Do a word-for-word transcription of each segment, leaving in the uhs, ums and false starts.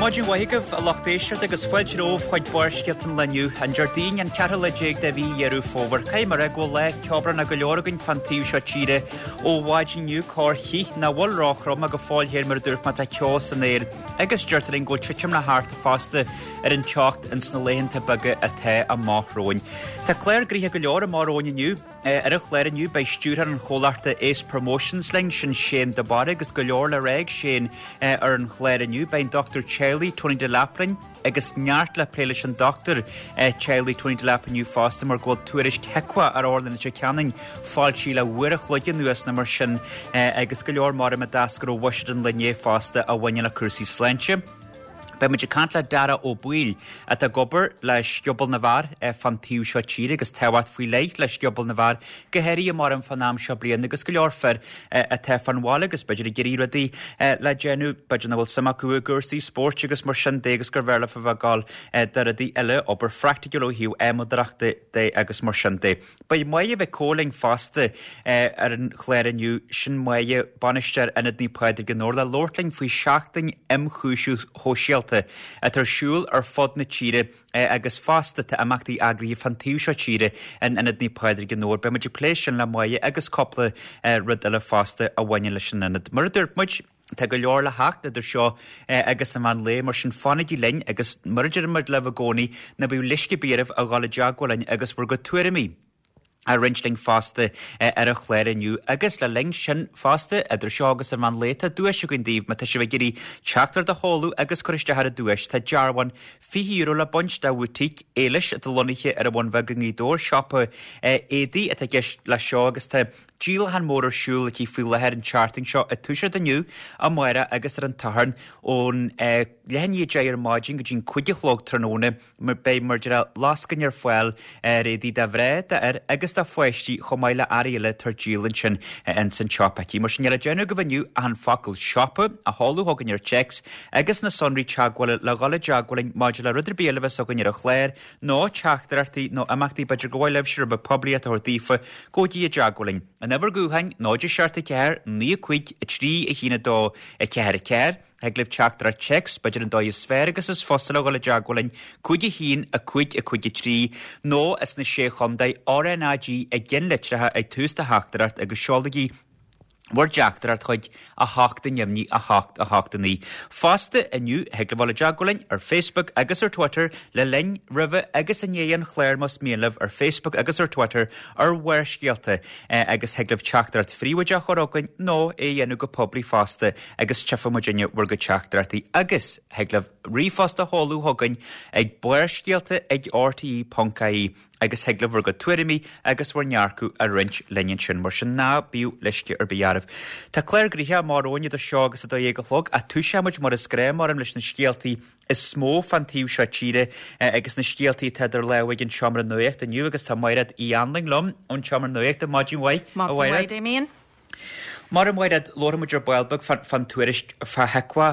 Maidin mhaith agaibh a lucht éisteachta agus fáilte romhaibh chuig Barrscéalta an lae inniu, an Déardaoin an ceathrú lá déag de mhí Dheireadh Fómhair. Caithfidh mé a rá go bhfuil lá ceobhránach go leor againn fan taobh seo tíre ó mhaidin inniu corrchith nach bhfuil róthrom ach go fóill féin mar a dúirt mé tá ceo san aer agus deirtear linn go bhfuil titim le theacht fosta ar an teocht ins na laethanta beaga atá amach romhainn. Tá clár gnoitheach go leor amach romhainn inniu. Ar an chlár inniu beidh stiúrthóir an chomhlachta Ace Promotions linn sin Shane de Barra agus go leor le rá ag Shane ar an chlár inniu beidh an dochtúir teaghlaigh Tony Delap linn agus neart le plé leis an dochtúir teaghlaigh Tony Delap inniu fosta mar go bhfuil tuairisc HIQA ar Otharlann Leitir Ceanainn foilsithe le uair a chloig anuas nó mar sin agus go leor mar a d'eascair ó bhuiséad an lae inné fosta a bhaineann le cúrsaí sláinte. Beidh muid ag caint le Dara Ó Baoill atá ag obair le Scioból na bhFear fan taobh seo tíre agus tábhacht faoi leith le Scioból na bhFear go háirithe mar an fan am seo bliana agus go leor fir atá fan bhaile agus b'fhéidir ag iarraidh rudaí le déanamh b'fhéidir nach bhfuil suim acu i gcúrsaí spóirt agus mar sin de agus gur bhfearr leofa bheith ag gabháil do rudaí eile obair phraiticiúil ó thaobh adhmadóireachta de agus mar sin de. Beidh Máire Mhic Cóil linn fosta ar an chlár inniu sin Máire bainisteoir Ionad Naomh Pádraig i nDobhar le labhairt linn faoi seachtain ionchúisimh shóisialta atá ar siúl ar fud na tíre agus fosta tá imeachtaí eagraithe fan taobh seo tíre in Ionad Naomh Pádraig i nDobhar. Beidh muid ag plé sin le Máire agus cúpla rud eile fosta a bhaineann leis an ionad. Mar a dúirt muid, Tá go leor le theacht idir seo agus an meán lae mar sin fanaigí linn agus mar a deir muid libh i gcónaí ná bíodh leisce ar bith oraibh a dhul i dteagmháil linn agus bhur gcuid tuairimí a roinnt linn fosta ar an chlár inniu agus le linn sin fosta idir seo agus an meán lae tá duais againn daoibh má tá sibh ag iarraidh teachtaireacht a sheoladh agus cur isteach ar an duais tá dearbhán fiche euro le baint de bhúitíc Éilis atá lonnaithe ar an Bhun Bheag i nGaoth Dobhair siopa éadaí atá i gceist leis seo agus tá díolachán mór ar siúl aici faoi láthair an tseachtain seo ag toiseacht inniu, amárach agus ar an tSatharn ón leath i ndiaidh a deich ar maidin go dtí'n cúig a chlog tráthnóna. Beidh mar a déarfá lascaine ar fáil ar éadaí do mhná, d'fhir agus do pháistí chomh maith le earraí eile atá ar díol ansin ins an tsiopa aici. Mar sin níl le déanamh agaibh inniu ach an focal 'siopa' a sheoladh chugainn ar téacs agus na sonraí teagmhála le dhul i dteagmháil linn maidir le rud ar bith eile a bheas againn ar an chlár nó teachtaireachtaí nó imeachtaí b'fhéidir gur mhaith libhse rud beag poiblíocht a thabhairt daofa, gabhaigí i dteagmháil linn. An uimhir ghutháin, náid a seacht a ceathair, naoi a cúig, a trí, a haon a dó, a ceathair a ceathair. Thig libh teachtaireacht téacs, b'fhéidir an dóigh is fearr agus is fusa le dhul i dteagmháil linn, cúig a haon, a cúig, a cúig a trí, nó as na Sé Chontae, RnaG i gceannlitreacha ag tús do theachtaireacht agus seolaigí bhur dteachtaireacht chuig a hocht a neamhní a hocht a hocht a naoi. Fosta inniu thig libh dul i dteagmháil linn ar Facebook agus ar Twitter le linn, roimhe agus i ndiaidh an chláir más mian libh ar Facebook agus ar Twitter ar Bharrscéalta agus thig libh teachtaireacht phríobháideach a chur chugainn nó é a dhéanamh go poiblí fosta agus tchífidh muidinne bhur gcuid teachtaireachtaí agus thig libh ríomhphost a sheoladh chugainn ag barrscéalta ag rte ponc ie. agus thig libh bhur gcuid tuairimí agus bhur ndearcadh a roinnt linn ansin, mar sin ná bíodh leisce ar bith oraibh. Tá clár gnoitheach amach romhainn idir seo agus a dó dhéag a chlog, ach toiseoidh muid mar is gnáth mar leis na scéaltaí is mó fan taobh seo tíre agus na scéaltaí atá idir lámha ag an Seomra Nuachta inniu agus tá Mairéad Uí Anluain liom ón tSeomra Nuachta. Maidin mhaith, a Maidin Mhairéad. mhaith, Damien. Mar a Mhairéad, labharfaidh muid ar ball beag fán tuairisc fá HIQA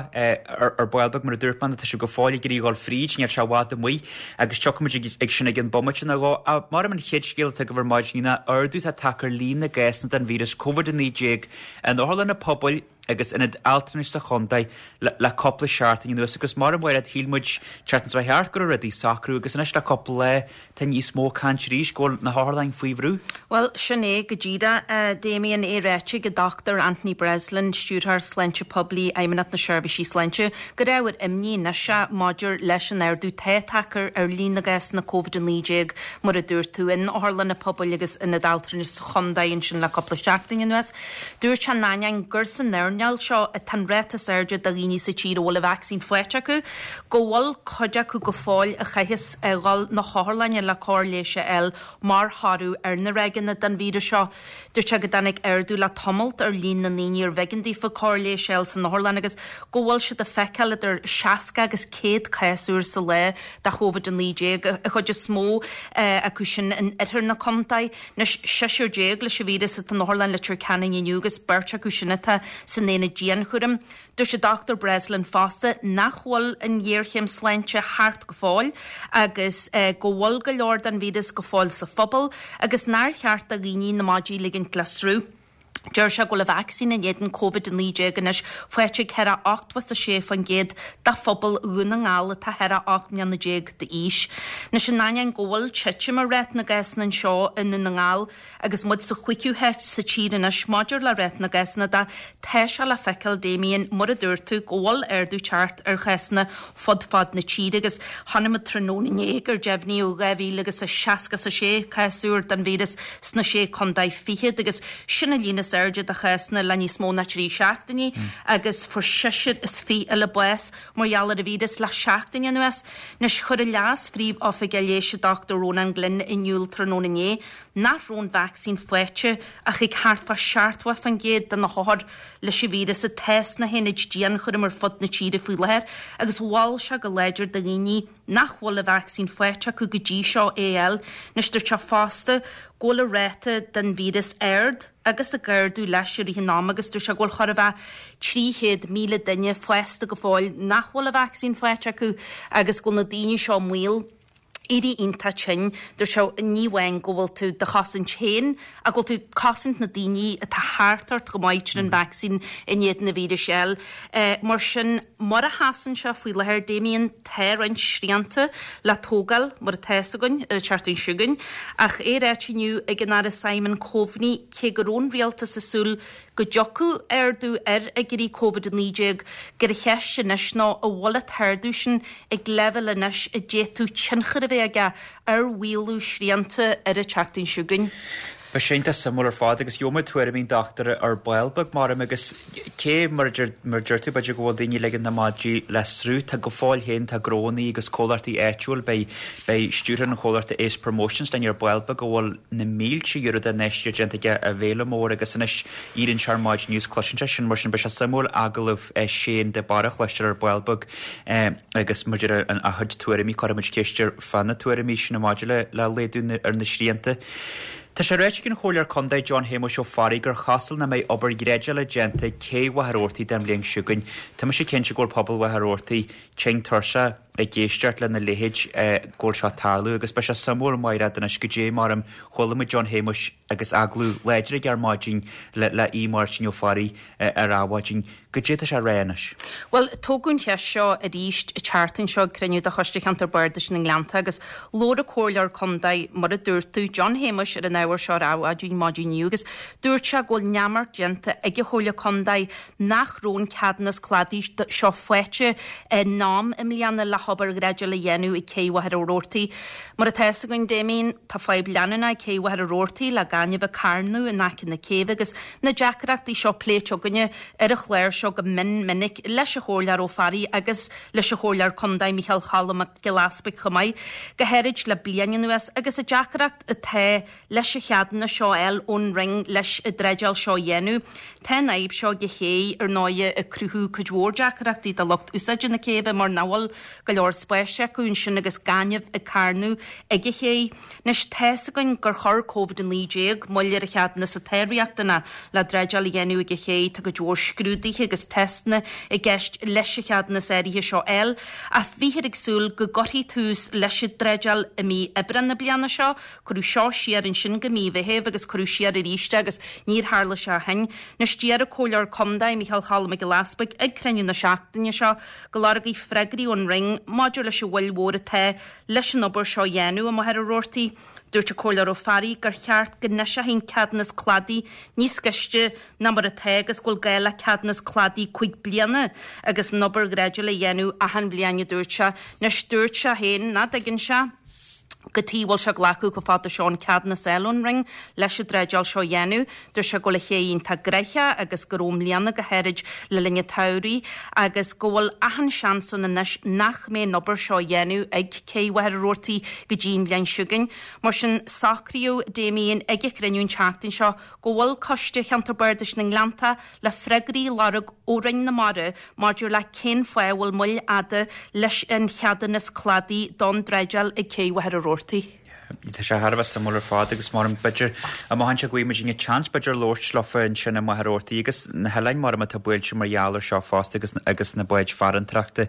ar ball beag, mar a dúirt mé, tá sibh go fóill ag iarraidh a dhul fríd, níl sé i bhfad amuigh agus tiocfaidh muid ag sin ag an bomaite nó dhó. Ach mar an chéad scéal atá agaibh ar maidin ná ardú atá tagtha ar líon na gcásanna den víreas Covid a naoi déag in otharlanna pobail agus ionaid altranais sa chontae le cúpla seachtain anuas agus mar a Mhairéad, shíl muid tseachtain seo thart go raibh rudaí ag socrú agus anois le cúpla lá tá níos mó caint arís go bhfuil na hotharlanna faoi bhrú. Bhuel, sin é go díreach, a Damien, é ráite ag an Dochtúir Anthony Breslin, Stiúrthóir Sláinte Poiblí, Fheidhmeannacht na Seirbhísí Sláinte, gur ábhar imní anois é maidir leis an ardú atá tagtha ar líon na gcásanna Covid a naoi déag, mar a dúirt tú, in otharlanna pobail agus ionaid altranais sa chontae ansin le cúpla seachtain anuas. Dúirt sé in ainneoin gur san earnáil seo atá an ráta is airde de dhaoine sa tír a bhfuil an vacsaín faighte acu, go bhfuil cuid acu go fóill a chaithfeas a dhul na hotharlainne le cóir leighis a fháil mar thoradh ar na ráigeanna den víreas seo. Dúirt sé go dtáinig ardú le tamalt ar líon na ndaoine ar bh'éigean daofa cóir leighis a fháil san otharlann agus go bhfuil siad ag feiceáil idir seasca agus céad cás úr sa lá de Covid a naoi déag, an chuid is mó acu sin in oirthear na contae. Anois, seisear déag leis an víreas atá in Otharlann Leitir Ceanainn inniu agus beirt acu sin atá san aonad dianchúraim. Dúirt an Dochtúir Breslin fosta nach bhfuil an ghéarchéim sláinte thart go fóill agus go bhfuil go leor den víreas go fóill sa phobal agus nár cheart do dhaoine na maidí a ligint le sruth. Deir sé go bhfuil an vacsaín in éadan Covid a naoi déag anois faighte ag thar a ochtó is a sé faoin gcéad de phobal Dhún na nGall atá thar a ocht mbliana déag d'aois. Anois in ainneoin go bhfuil titim i ráta na gcásanna anseo i nDún na nGall agus muid sa chúigiú háit sa tír anois maidir le ráta na gcásanna de, tá sé le feiceáil Damien, mar a dúirt tú, go bhfuil ardú teacht ar chásanna fud fad na tíre agus chonaic muid tráthnóna inné gur deimhníodh dhá mhíle agus a seasca is a sé cás úr den víreas sna sé contae fichead agus sin an líon is airde de chásanna le níos mó ná trí seachtainí agus fuair seisear is fiche eile bás mar gheall ar an víreas le seachtain anuas. Anois chuir an Leas-Phríomh-Oifigeach Leighis Dochtúir Rónán Glynn in iúl tráthnóna inné nach raibh an vacsaín faighte ach ag thart fá seachtó faoin gcéad de na hothair leis an víreas atá sna haonaid dianchúraim ar fud na tíre faoi láthair agus mhol sé go láidir do dhaoine nach bhfuil an vacsaín faighte acu go dtí seo é a fháil. Anois dúirt sé fosta go bhfuil an ráta den víreas ard agus ag ardú leis i rith an ama agus dúirt sé go bhfuil chóir a bheith trí chéad míle duine fásta go fóill nach bhfuil an vacsaín faighte acu agus go bhfuil na daoine seo i mbaol éirí iontach tinn. Dúirt sé ní amháin go bhfuil tú do chosaint féin ach go bhfuil tú ag cosaint na daoine atá thart ort go maith tríd an vacsaín in éadan an víris a fháil. Mar sin, mar a sheasann sé faoi láthair, Damien, tá roinnt srianta le tógáil, mar atá fhios againn, ar an tseachtain seo chugainn. Ach é ráite inniu ag an Aire Simon Coveney, cé go raibh an rialtas ag súil go dtiocfadh ardú ar fhigiúirí Covid a naoi déag, gur an cheist anois ná an bhfuil an t-ardú sin ag leibhéal anois a d'fhéadfadh tionchar a bheith aige ar mhaolú srianta ar an tseachtain seo chugainn. Beidh sé iontach suimiúil ar fad agus gheobhaidh muid tuairimí an dochtúra ar ball beag maram agus cé mar a deir tú b'fhéidir go bhfuil daoine ag ligean na madraí le sruth, tá go fóill féin tá gnónnaí agus comhlachtaí áitiúil, beidh beidh stiúrthóir an chomhlachta Ace Promotions linn ar ball beag a bhfuil na mílte euro d'infheistíocht déanta aige i bhféile mór agus anois éiríonn sé ar maidin inniu is cloiseann sé sin mar sin beidh sé suimiúil agallamh Shane de Barra a chloisteáil ar ball beag agus mar a deir a chuid tuairimí cuirfidh muid ceist air fá na tuairimí sin maidir le le laghdú ar na srianta. Tá sé ráite ag an Chomhairleoir Contae John Shéamuis Ó Fearraigh gur chosúil nach mbeidh obair dhreideála déanta ag cé Mhachaire Rabhartaigh don bhliain seo chugainn. Tá mise cinnte go bhfuil pobal Mhachaire Rabhartaigh tinn tuirseach ag éisteacht lena leithéid go bhfuil seo ag tarlú agus beidh sé suimiúil Mairéad anois goidé mar chuala muid John Shéamuis agus agallamh láidir aige ar maidin le le Aodh Máirtín Ó Fearraigh ar Adhmhaidin. Goidé tá sé a rá anois? Bhuel, tógadh an cheist seo arís an tseachtain seo ag cruinniú de Choiste Cheantar Bardais na nGleannta agus labhair an Comhairleoir Contae, mar a dúirt tú, John Shéamuis ar an ábhar seo ar Adhmhaidin maidin inniu agus dúirt sé go bhfuil neamart déanta ag an Chomhairle Contae nach raibh an ceadúnas cladaigh seo faighte in am i mbliana le hobair dhreideála a dhéanamh ag Cé Mhachaire Rabhartaigh. Mar atá fhios againn, Damien, tá fadhb leanúnach ag Cé Mhachaire Rabhartaigh le gaineamh ag carnadh in aice na céibhe agus na deacrachtaí seo pléite againne ar an chlár seo go mion minic leis an Chomhairleoir Ó Fearraigh agus leis an Chomhairleoir Contae Micheál Choilm Mac Giolla Easpaig chomh maith, go háirid le bliain anuas, agus an deacracht atá leis an cheadúnas seo a fháil ón Roinn leis an dreideáil seo a dhéanamh. Tá an fhadhb seo ag an ché, ar ndóighe, ag cruthú cuid mhór deacrachtaí do lucht úsáide na céibhe mar nach bhfuil go leor spáis acu ansin agus gaineamh ag carnadh ag an ché. Anois, tá's againn gur chuir Covid a naoi déag moill ar an cheadúnas atá riachtanach le dreideáil a dhéanamh ag an ché. Tá cuid mhór scrúduithe agus teisteanna i gceist leis an cheadúnas áirithe seo a fháil, ach bhíthear ag súil go gcuirfí tús leis an dreideáil i mí Aibreán na bliana seo. Cuireadh seo siar ansin go mí Mheithimh agus cuireadh siar arís é agus níor tharla sé ó shin. Anois, d'iarr an Comhairleoir Contae, Micheál Choilm Mac Giolla Easpaig, ag cruinniú na seachtaine seo go lorgfaí freagraí ón Roinn maidir leis an mhoill mhór atá leis an obair seo a dhéanamh i Machaire Rabhartaigh. Dúirt an Comhairleoir Ó Fearraigh gur cheart go n-eiseofaí an ceadúnas cladaigh níos gaiste ná mar atá agus go bhfuil gá le ceadúnas cladaigh cúig bliana agus an obair dhreideála a dhéanamh achan bhliain, a dúirt sé. Anois, dúirt sé féin nach dtuigeann sé cad chuige a bhfuil sé glacadh chomh fada seo an ceadúnas a fháil ón Roinn leis an dreideáil seo a dhéanamh. Dúirt sé go bhfuil an ché iontach gnoitheach agus go raibh i mbliana go háirid le linn an tsamhraidh agus go bhfuil achan seans ann anois nach mbeidh an obair seo á dhéanamh ag Cé Mhachaire Rabhartaigh go dtí an bhliain seo chugainn. Mar sin, socraíodh Damien ag an chruinniú an tseachtain seo go bhfuil Coiste Cheantar Bardais na nGleannta le freagraí a lorg ó Roinn na Mara maidir le cén fáth a bhfuil moill fhada leis an cheadúnas cladaigh don dreideáil ag Cé Mhachaire Rabhartaigh. Tá sé thar a bheith suimiúil ar fad agus mar b'fhéidir amach anseo go bhfaighidh muid seans b'fhéidir labhairt leofa ansin i Machaire Rabhartaigh agus na hoileáin mar atá buailte mar gheall air seo fosta agus agus na báid farantóireachta.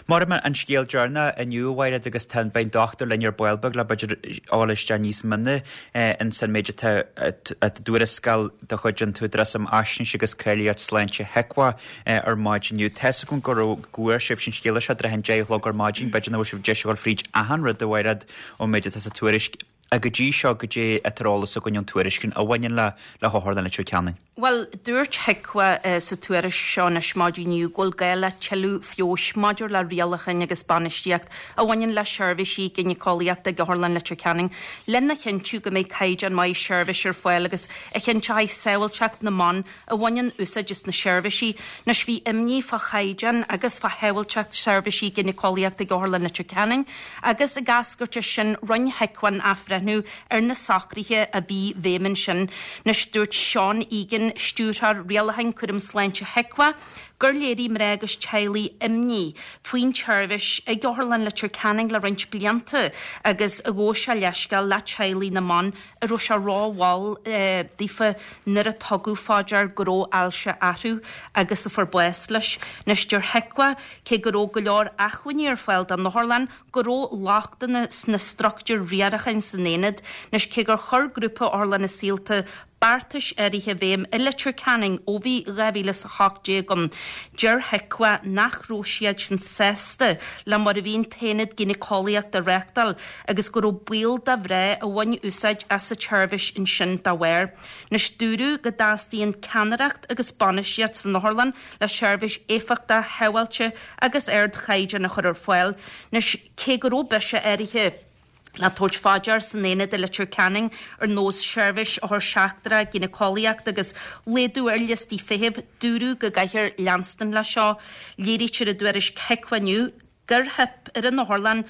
Mar an scéal deireanach inniu a Mhairéad agus tá beidh an dochtúir linn ar ball beag le b'fhéidir dul isteach níos mine in san méid atá i dtuarascáil de chuid an tÚdarás um Fhaisnéis agus Cáilíocht Sláinte HIQA ar maidin inniu. Tá a fhios agam go raibh go bhfuair sibh sin scéala seo tráth an deich a chlog ar maidin, b'fhéidir nach bhfuil sibh deis a dhul fríd achan rud a Mhairéad ón méid atá sa tuairisc. A go dtí seo goidé atá ar eolas againn ón tuairisc a bhaineann le le hOtharlann Leitir Ceanainn. Bhuel, dúirt HIQA sa tuairisc seo anois maidin inniu go bhfuil gá le tuilleadh feabhais maidir le rialacháin agus bainistíocht a bhaineann le seirbhísí gínéiceolaíochta ag Otharlann Leitir Ceanainn lena chinntiú go mbeidh caighdeán maith seirbhís ar fáil agus a chinnteoidh sábháilteacht na mban a bhaineann úsáid as na seirbhísí. Anois bhí imní fá chaighdeán agus fá shábháilteacht seirbhísí gínéiceolaíochta ag Otharlann Leitir Ceanainn agus ag eascairt as sin rinne HIQA an athbhreithniú ar na socruithe a bhí i bhfeidhm ansin. Anois dúirt Seán Egan, Stiúrthóir Rialacháin Cúram Sláinte HIQA, gur léirigh mná agus teaghlaigh imní faoin tseirbhís ag Otharlann Leitir Ceanainn le roinnt blianta agus ghabh sé leithscéal le teaghlaigh na mban a raibh sé rómhall daofa nuair a tugadh fá dear go raibh ailse orthu agus a fuair bás leis. Anois deir HIQA cé go raibh go leor acmhainní ar fáil don otharlann go raibh lochtanna sna struchtúir riaracháin san aonad. Anois cé gur chuir grúpa Otharlanna Saolta beartais áirithe i bhfeidhm i Leitir Ceanainn ó bhí dhá mhíle is a hocht déag ann. Deir HIQA nach raibh siad sin sásta le mar a bhí an t-aonad gínéiceolaíochta á reáchtáil agus go raibh baol do mhná a bhain úsáid as an tseirbhís ansin dá bharr. Anois dúradh go dteastaíonn ceannaireacht agus bainistíocht san otharlann le seirbhís éifeachtach, shábháilte agus ardchaighdeán a chur ar fáil. Anois cé go raibh biseach áirithe le tabhairt fá dear san aonad i Leitir Ceanainn ar nós seirbhís othar seachtrach gínéiceolaíochta agus laghdú ar liostaí feithimh, dúradh go gcaithfear leanstan leis seo. Léirítear i dtuairisc HIQA inniu gur theip ar an otharlann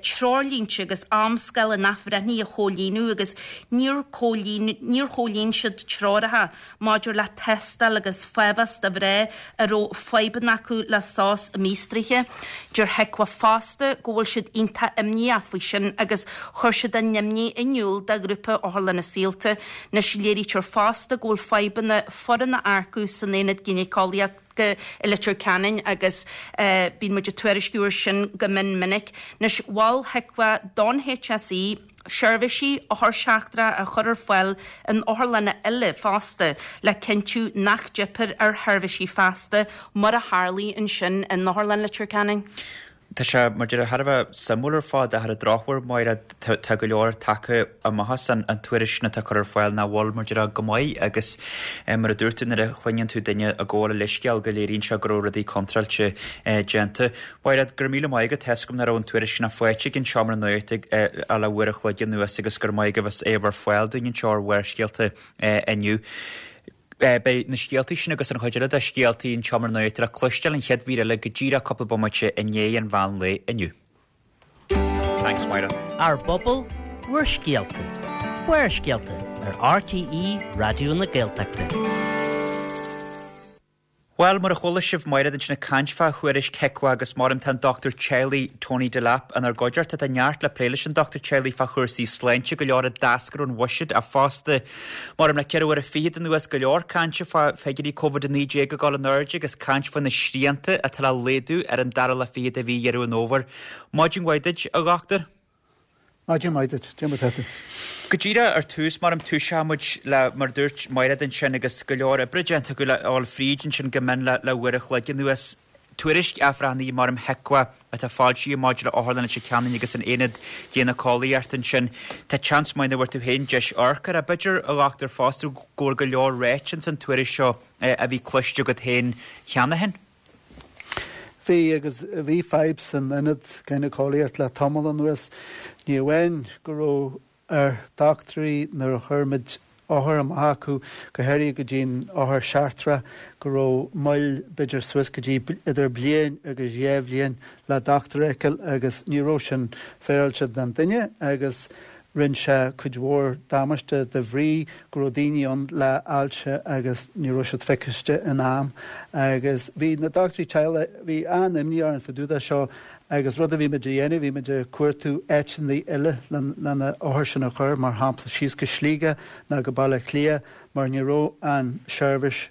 treoirlínte agus amscála an athbhreithnithe a chomhlíonadh agus níor níor chomhlíon siad treoracha maidir le tástáil agus fáthmheas do mhná a raibh fadhbanna acu le sos a míostraithe. Deir HIQA fosta go bhfuil siad iontach imníoch faoi sin agus chuir siad a n-imní in iúl do ghrúpa Otharlanna Saolta. Anois léirítear fosta go bhfuil fadhbanna foireann a earcú san aonad gínéiceolaíochta i Leitir Ceanainn agus bíonn muid ag tuairisciú air sin go mion minic. Anois mhol HIQA don HSE seirbhísí othar seachtrach a chur ar fáil in otharlanna eile fosta le cinntiú nach dteipfear ar sheirbhísí feasta mar a tharlaigh ansin in Otharlann Leitir Ceanainn. Tá sé mar deir thar a bheith suimiúil ar fad ach ar an drochuair Máire tá go leor tagtha amach as an tuairisc sin atá curtha ar fáil nach bhfuil mar deir go maith agus mar a dúirt tú nuair a chluineann tú duine ag gabháil a leithscéal go léiríonn sé go raibh rudaí contráilte déanta. Máire, go raibh míle maith agat, tá a fhios agam nach raibh an tuairisc sin faighte ag an seomra nuachta le uair a chloig anuas agus go raibh maith agaibh as é a bheith ar fáil dúinn anseo ar Bharrscéalta inniu. Beidh na scéaltaí sin agus an chuid eile de scéaltaí an tseomra nuachta le cloisteáil an chéad mhír eile go díreach cúpla bomaite i ndiaidh an mheán lae inniu. Thanks, Máire. Ár bpobal, bhur scéalta. Barrscéalta ar RTÉ Raidió na Gaeltachta. Bhuel, mar a chuala sibh Máire ansin ag caint fá thuairisc HIQA agus mar tá an dochtúir teaghlaigh Tony Delap inár gcuideachta tá neart le plé leis an dochtúir teaghlaigh fá chúrsaí sláinte go leor a d'eascair ón bhuiséad ach fosta mar le ceithre uaire fichead anuas go leor cainte fá figiúirí Covid a naoi déag ag dul in airde agus caint faoi na srianta atá le laghdú ar an dara lá fichead de mhí Dheireadh an Fhómhair. Maidin mhaith duit, a dhochtúir. Maidin mhaith duit, cad é mar atá tú. Go díreach ar tús mar am túiseoidh muid le mar dúirt Máire ansin agus go leor oibre déanta acu le fháil fríd ansin go mion le le uair a chloig anuas. Tuairisc athbhreithnithe mar am HIQA atá foilsithe maidir le Otharlann Leitir Ceanainn agus an aonad gínéiceolaíochta ansin. Tá seans maith nach bhfuair tú féin deis amharc air b'fhéidir a dhochtúir fosta go bhfuil go leor ráite ins an tuairisc seo a bhí cloiste agat féin cheana féin. Bhí agus bhí fadhb san ionad gínéiceolaíocht le tamall anuas. Ní amháin go raibh ar dochtúirí nuair a chuir muid othar amach acu, go háirithe go dtí'n othar seachtrach, go raibh moill b'fhéidir suas go dtí idir bliain agus dhá bhliain le dochtúir a fheiceáil agus ní raibh sin féaráilte don duine agus rinne sé cuid mhór damáiste de bhrí go raibh daoine ann le ailse agus ní raibh siad feiciste in am. Agus bhí na dochtúirí teaghlaigh, bhí an-imní orainn fá dtaobh de seo Agus rud a bhí muid a dhéanamh, bhí muid ag cuartú áiteanna eile le na othair sin a chur, mar shampla síos go Sligeach nó go Baile Átha Cliath, mar ní raibh an seirbhís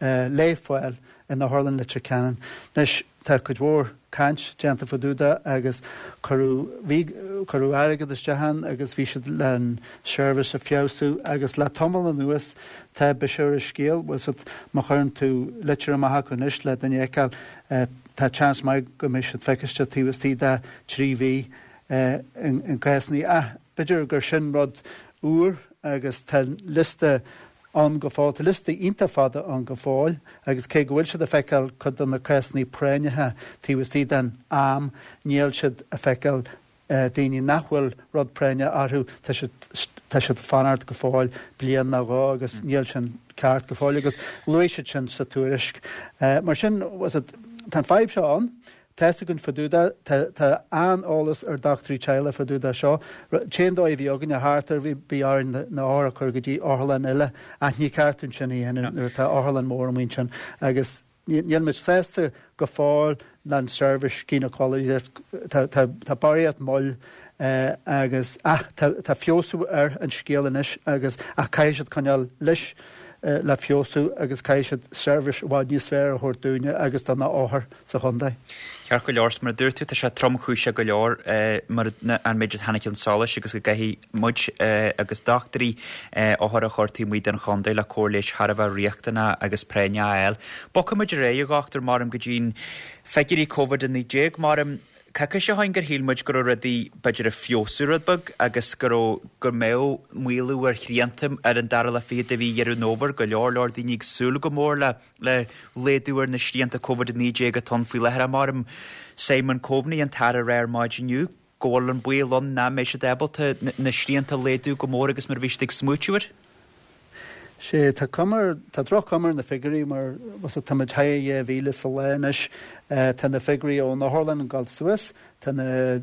le fáil in Otharlann Leitir Ceanainn. Anois, tá cuid mhór caint déanta fá dtaobh de agus cuireadh, bhí, cuireadh airgead isteach ann agus bhí siad le an seirbhís a feabhsú agus le tamall anuas tá biseach ar an scéal, bhfuil 's agat, má chuireann tú litir amach acu anois le duine a fheiceáil, tá seans maith go mbeidh siad feiciste taobh istigh de trí mhí in cásanna ach b'fhéidir gur sin rud úr agus tá liosta ann go fóill. Tá liosta iontach fada ann go fóill agus cé go bhfuil siad ag feiceáil cuid de na cásanna práinneacha taobh istigh den am, níl siad ag feiceáil daoine nach bhfuil rud práinneach orthu, tá siad tá siad fanacht go fóill bliain nó dhó agus níl sin ceart go fóill agus luaigh siad sin sa tuairisc. Mar sin, tá an fadhb seo ann. Tá 'fhios againn fá dtaobh de, tá tá an-eolas ar dochtúirí teaghlaigh fá dtaobh de seo. T-aon dóigh a bhí againne thart ar bhí bhí orainn na othair a chur go dtí otharlann eile ach ní ceart dúinn sin a dhéanamh nuair atá otharlann mór amuigh ansin agus níl muid sásta go fóill leis an seirbhís gynecology tá tá tá barraíocht moill agus ach tá tá feabhsú ar an scéal anois agus ach caithfidh siad coinneáil leis le feabhsú agus caithfidh siad seirbhís i bhfad níos fearr a thabhairt dúinne agus do na othair sa chontae. Ceart go leor, mar a dúirt tú, tá sé tromchúiseach go leor mar an méid a tháinig chun solais agus go gcaithfidh muid agus dochtúirí othair a chur taobh amuigh den chontae le cóir leighis thar a bheith riachtanach agus práinneach a fháil. Bogfaidh muid ar aghaidh, a dhochtúir, maram go dtí'n figiúirí Covid a naoi déag, maram coicís ó shin gur shíl muid go raibh rudaí b'fhéidir ag feabhsú rud beag agus go raibh, go mbeadh maolú ar shrianta ar an dara lá fichead de mhí Dheireadh an Fhómhair, go leor leor daoine ag súil go mór le le laghdú ar na srianta Covid a naoi déag atá ann faoi láthair. Maram Simon Coveney, an tAire, a rá ar maidin inniu go bhfuil an baol ann nach mbeidh siad ábalta na srianta a laghdú go mór agus mar a bhí siad ag smaoitiú air. Sé, tá cuma ar, tá droch-chuma ar na figiúirí mar, bhfuil 's agat, tá muid thar dhá mhíle sa lá anois. Tá na figiúirí ón otharlann ag dul suas, tá na,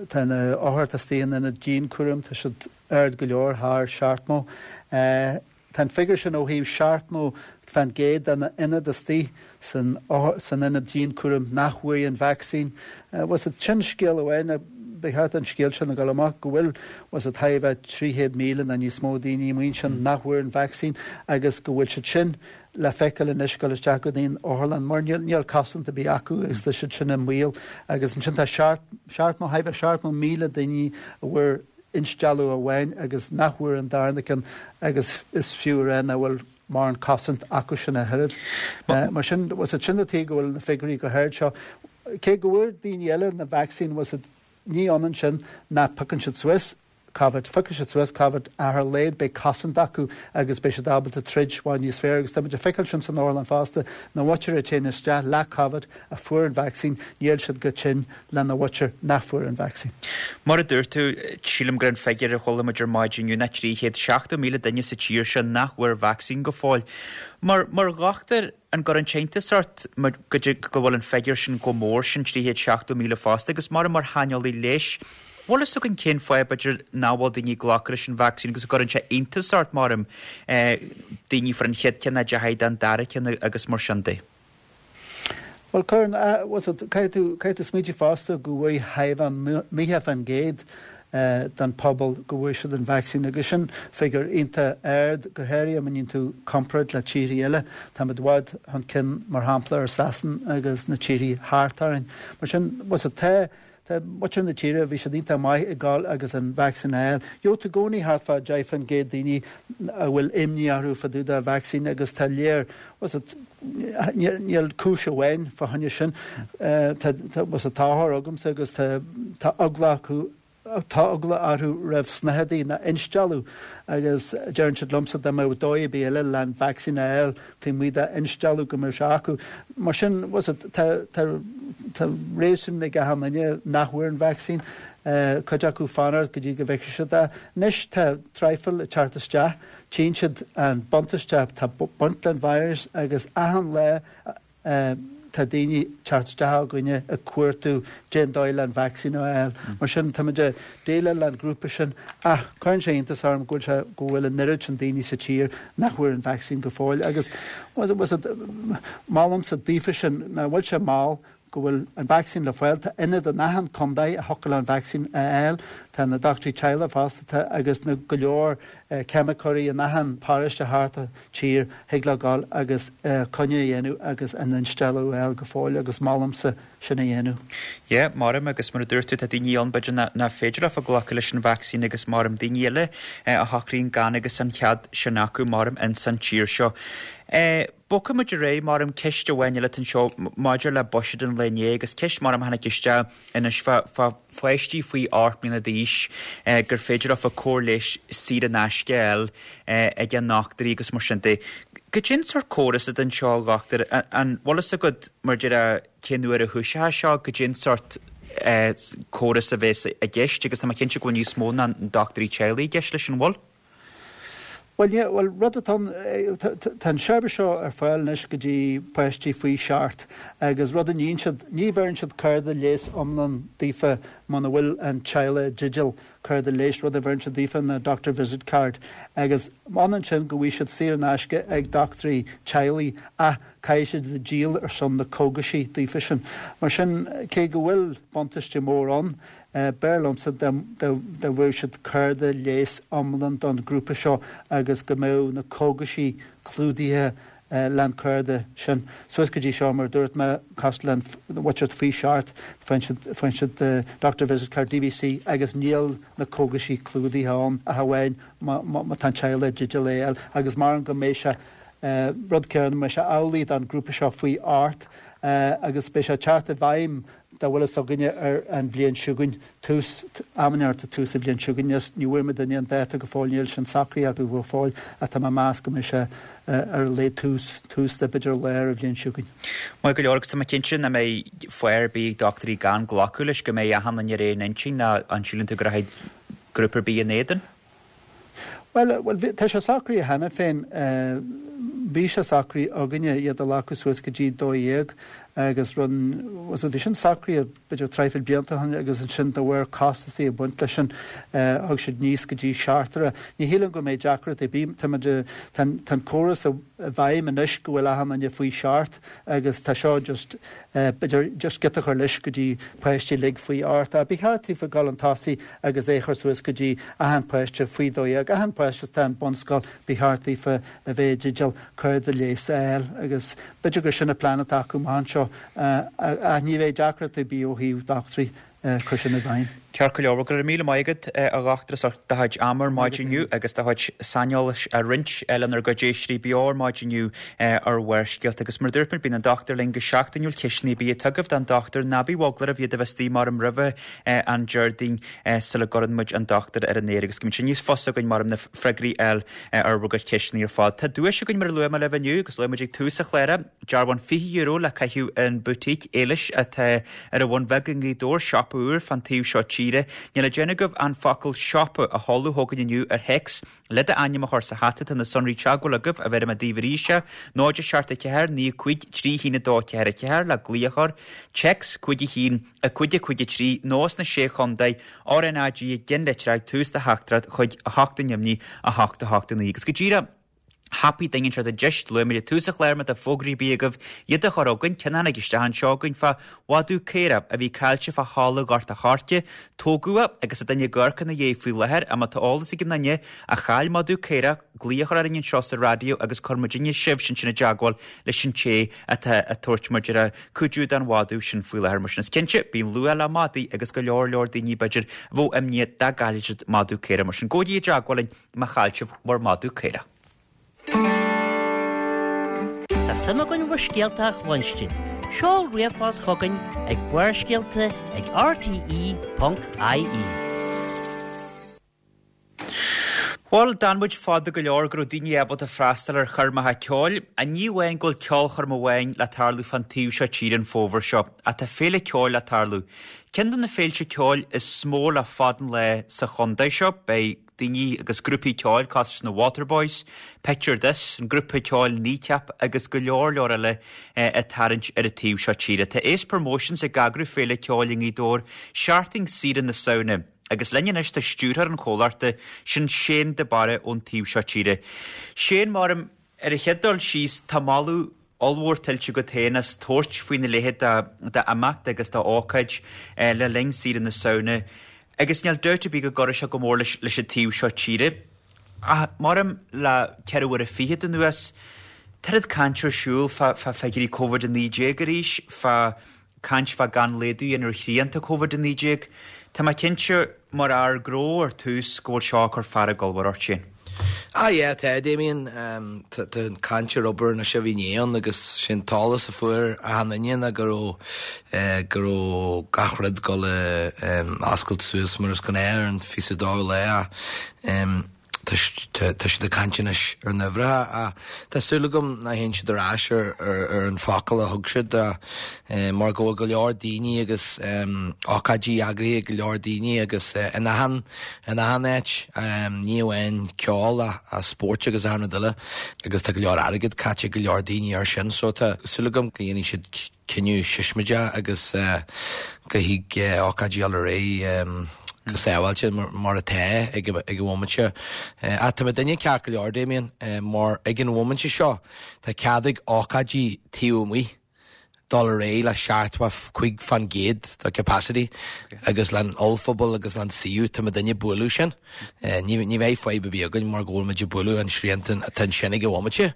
tá na othair atá istigh in ionad dianchúraim, tá siad ard go leor, thar seachtmó. Tá an figiúr sin ó thaobh seachtmó fán gcéad de na ionad istigh san, san ionad dianchúraim nach bhfuair an vacsaín. Bhfuil 's agat, sin scéal amháin. Ba cheart an scéal sin a dhul amach, go bhfuil bhfuil 's agat thar a bheith trí chéad míle nó níos mó daoine amuigh ansin nach bhfuair an vacsaín agus go bhfuil siad sin le feiceáil anois ag dul isteach go dtí an otharlann mar níl níl cosaint ar bith acu agus tá siad sin i mbaol agus ansin tá seacht seachtmó thar a bheith seachtmó míle daoine a bhfuair instealladh amháin agus nach bhfuair an darna ceann agus is fiú a rá nach bhfuil mórán cosaint acu sin a thuilleadh. Mar sin bhfuil 's agat sin an tuige go bhfuil na figiúirí chomh hard seo. Cé go bhfuair daoine eile na vacsaín bhfuil 's agat Ní ionann sin ná piocann siad suas Covid. Phiocfaidh siad suas Covid ach ar a laghad beidh cosaint acu agus beidh siad ábalta troid i bhfad níos fearr agus tá muid ag feiceáil sin san otharlann fosta, na mhuintir a téann isteach le Covid a fuair an vacsaín, níl siad chomh tinn lena mhuintir nach fuair an vacsaín. Mar a dúirt tú, sílim gur an figiúr a chuala muid ar maidin inniu ná trí chéad seachtó míle duine sa tír seo nach bhfuair vacsaín go fóill. Mar, mar dhochtúir, An gcuireann sé iontas ort go bhfuil an figiúr sin chomh mór sin, trí chéad seachtó míle fosta, agus mar mar shaineolaí leighis, bhfuil fhios againn cén fáth b'fhéidir nach bhfuil daoine ag glacadh leis an vacsaín agus an gcuireann sé iontas ort, mar daoine a fuair an chéad ceann a deachaigh don dara ceann agus mar sin de? Bhuel, cuireann, caithfidh tú, caithfidh tú smaointiú fosta go bhfuair thar a bheith naocha faoin gcéad den phobal go bhfuair siad an vacsaín agus sin figiúr iontach ard, go háirithe má dhéanann tú comparáid le tíortha eile. Táimid i bhfad chun cinn, mar shampla, ar Sasain agus na tíortha thart orainn. Mar sin, bhfuil 's agat, tá, tá muintir na tíre, bhí siad iontach maith ag gabháil agus an vacsaín a fháil. Gheobhaidh tú i gcónaí thart fá deich faoin gcéad daoine a bhfuil imní orthu fá dtaobh de vacsaín agus tá léir, bhfuil 's agat, níl cúis amháin fá choinne sin. Tá, tá, bhfuil 's agat, tá othair agamsa agus tá, tá eagla acu, Tá eagla orthu roimh snáthaidí ná instealladh agus deireann siad liomsa dá mbeadh dóigh ar bith eile le an vacsaín a fháil taobh amuigh de instealladh go mbeadh sé acu. Mar sin, bhfuil 's agat, tá, tá, tá réasún ag achan duine nach bhfuair an vacsaín, cuid acu fanacht go dtí go bhfeicfidh siad é. Anois tá traidhfil ag teacht isteach, tchíonn siad an buntáiste atá ag baint leis an virus agus achan lá a, Tá daoine ag teacht isteach chugainne ag cuartú cén dóigh le an vacsaín a fháil. Mar sin, táimid ag déileáil le an grúpa sin ach cuireann sé iontas orm go bhfuil sé, go bhfuil an oiread sin daoine sa tír nach bhfuair an vacsaín go fóill agus molaimse daofa sin nach bhfuil sé mall go bhfuil an vacsaín le fáil, tá ionad in achan contae a thiocfadh leo an vacsaín a fháil, tá na dochtúirí teaghlaigh fostaithe agus na go leor ceimiceoirí in achan paróiste thart an tír thig leo gabháil agus coinne a dhéanamh agus an instealladh a fháil go fóill agus molaimse sin a dhéanamh. Yeah, maram agus mar a dúirt tú tá daoine ann b'fhéidir nach féidir leofa glacadh leis an vacsaín agus maram daoine eile a shocraíonn gan agus an cead sin acu maram ins an tír seo. Bogfaidh muid ar aghaidh maram ceist amháin eile anseo maidir le buiséad an lae inné agus ceist maram a tháinig isteach anois fá fá pháistí faoi ocht mbliana d'aois gur féidir leofa cóir leighis saor in aisce a fháil ag a ndochtúirí agus mar sin de. Goidé an sórt córas atá anseo a dhochtúir, an bhfuil fhios agat mar deir cén uair a thoiseoidh seo, goidé an sórt córas a bheas i gceist agus tá mé cinnte go bhfuil níos mó ná dochtúirí teaghlaigh i gceist leis an bhfuil? Bhuel, yeah, bhuel, rud atá ann, tá an seirbhís seo ar fáil anois go dtí páistí faoi seacht agus rud a níonn siad, ní bheireann siad cárta leighis iomlán daofa muna bhfuil an teaghlach i dteideal cárta leighis, rud a bheireann siad daofa ná doctor visit card agus ionann sin go bhfaighidh siad saor in aisce ag dochtúirí teaghlaigh ach caithfidh siad díol ar son na cógaisí daofa sin. Mar sin, cé go bhfuil buntáiste mór ann, B'fhearr liomsa dá bhfaigheadh siad cárta leighis iomlán don ghrúpa seo agus go mbeadh na cógaisí clúdaithe leis an cárta sin. Suas go dtí seo, mar a dúirt mé, cosúil le an mhuintir faoi seacht, faigheann siad Doctor Visit Card, DVC, agus níl na cógaisí clúdaithe ann ach amháin má tá an teaghlach i dteideal é a fháil. Agus maram go mbeidh sé rud céanna, mbeidh sé amhlaidh don ghrúpa seo faoi ocht agus beidh sé ag teacht i bhfeidhm dá bhfuil fhios againne ar an bhliain seo chugainn, tús, amanna tús an bhliain seo chugainn, is ní bhfuair muidinne an dáta go fóill, níl sin socraithe acu go fóill, ach tá mé ag meas go mbeidh sé ar a laghad tús, tús de b'fhéidir lár an bhliain seo chugainn. Maith go leor, agus tá mé cinnte nach mbeidh fáth ar bith ag dochtúirí gan glacadh leis, go mbeidh achan duine ar aon intinn, nó an síleann tú go rachaidh grúpa ar bith in éadan? Bhuel, bhuel, tá sé socraithe cheana féin. Bhí sé socraithe againne iad a ghlacadh suas go dtí dó dhéag agus run, so bhí sin socraithe b'fhéidir traidhfil blianta ó shin agus ansin de bharr costasaí ag baint leis sin thug siad níos go dtí seachtar. Ní shílim go mbeidh deacracht ar bith, tá muid, tá an, tá an córas i bhfeidhm anois go bhfuil achan duine faoi seacht agus tá seo just b'fhéidir just giota a chur leis go dtí páistí uilig faoi ocht. Ach ba cheart daofa dul chun tosaigh agus é a chur suas go dtí achan páiste faoi dó dhéag, achan páiste atá in bunscoil, ba cheart daofa a bheith i dteideal cárta leighis a fháil agus b'fhéidir gur sin an plean atá acu amach anseo ach ní bheidh deacracht ar bith ó thaobh dochtúirí cur sin i bhfeidhm. Ceart go leor, go raibh míle maith agat a dhochtúir as ucht do chuid ama ar maidin inniu agus do chuid saineolais a roinnt lenár gcuid éisteoirí beo ar maidin inniu ar Bharrscéalta. Agus mar a dúirt muid, bíonn an dochtúir linn go seachtainiúil, ceisteanna ar bith atá agaibh don dochtúir, ná bíodh eagla oraibh iad a bheith istigh maram roimhe an Déardaoin sula gcuireann muid an dochtúir ar an aer agus go mbíonn sé níos fusa againn maram na freagraí a fháil ar bhur gcuid ceisteanna ar fad. Tá duais againn mar a luaigh mé libh inniu agus luaigh muid ag tús an chláir, dearbhán fiche euro le caitheamh in boutique Éilis atá ar an Bhun Bheag i nGaoth Dobhair, siopa úr fán taobh seo tíre. Níl le déanamh agaibh an focal siopa a sheoladh chugainn inniu ar théacs le d'ainm a chur sa hata. Tá na sonraí teagmhála agaibh a bhéarfaidh mé daoibh arís é, náid a seacht a ceathair naoi cúig trí haon a dó ceathair a ceathair le glaoch a chur, téacs cúig a haon a cúig a cúig a trí nó sna Sé Chontae, RnaG i gceannlitreacha ag tús do theachtaireacht chuig a hocht a neamhní a hocht a hocht a naoi. Agus go díreach thapaidh duine anseo i dteist, luaigh muid ag tús an chláir má tá fógraí ar bith agaibh iad a chur chugainn, ceann a tháinig isteach anseo againn fá mhadadh caora a bhí caillte fá thalamh Ghort a' Choirce, tógadh é agus tá duine ag amharc ina dhiaidh faoi láthair ach má tá eolas ag aon duine a chaill madadh caora, glaoch a chur orainn anseo sa raidió agus cuirfidh muidinne sibh sin sin i dteagmháil leis an té atá ag tabhairt mar a déarfá cuidiú don mhadadh sin faoi láthair. Mar sin is cinnte, bíonn luacháil le madaí agus go leor leor daoine b'fhéidir a bheadh imníoch dá gcaillfeadh siad madadh caora. Mar sin gabhaigí i dteagmháil linn má chaill sibh bhur madadh caora. Tá suim againn bhur scéalta a chluinstin. Seol ríomhphost chugainn ag barrscéalta ag rte ponc ie. Bhuel, d'fhan muid fada go leor go raibh daoine ábalta freastal ar choirmeacha ceoil. Ní amháin go bhfuil ceolchoirm amháin le tarlú fán taobh seo tíre an fómhar seo, ach tá féile ceoil le tarlú. Ceann de na féilte ceoil is mó le fada an lá sa chontae seo, beidh daoine agus grúpaí ceoil cosúil leis na Waterboys, Picture This, an grúpa ceoil Kneecap agus go leor leor eile ag tarraingt ar an taobh seo tíre. Tá Ace Promotions ag eagrú féile ceoil i nGaoth Dobhair seachtain saoire na Samhna agus linn anois tá stiúrthóir an chomhlachta, sin Shane de Barra ón taobh seo tíre. Shane, maram, ar an chéad dul síos, tá moladh ollmhór tuillte agat féin as tabhairt faoina leithéid d'imeacht agus d'ócáid le linn saoire na Samhna agus níl dabht ar bith go gcuirfidh sé go mór leis an taobh seo tíre. Ach maram le ceithre huaire fichead anuas, tá oiread caint ar siúl fá figiúirí Covid a naoi déag arís, fá caint fá gan laghdú a dhéanamh ar shrianta Covid a naoi déag. Tá mé cinnte, mar fhear gnó ar tús, go bhfuil seo ag cur fearg ollmhór ort, Shane. Ah yeah, tá, Damien. Tá an caint ar obair anois a bhí inné ann agus sé an t-eolas a fuair achan duine ná go raibh go raibh gach rud dul a oscailt suas mar is gnáth ar an fiche dóú lá ach tá tá siad ag caint anois ar na huimhreacha ach tá súil agam nach théann siad ar ais ar ar an focal a thug siad mar go bhfuil go leor daoine agus ócáidí eagraithe ag go leor daoine agus in achan in achan áit, ní amháin ceol ach spóirt agus achan rud eile agus tá go leor airgead caite ag go leor daoine air sin so tá súil agam go ndéanfaidh siad cinneadh siosmaideach agus go thig ócáidí dul ar aghaidh go sábháilte mar atá ag an bhomaite. Ach tá muidinne ceart go leor, Damien, mar ag an bhomaite seo tá cead ag ócáidí taobh amuigh dul ar aghaidh le seachtó cúig fan gcéad de capacity agus leis an ollphuball agus leis an suíomh tá muidinne ag bualadh sin. Ní bheidh fadhb ar bith againn mar go bhfuil muid ag bualadh an srianta atá ansin ag an bhomaite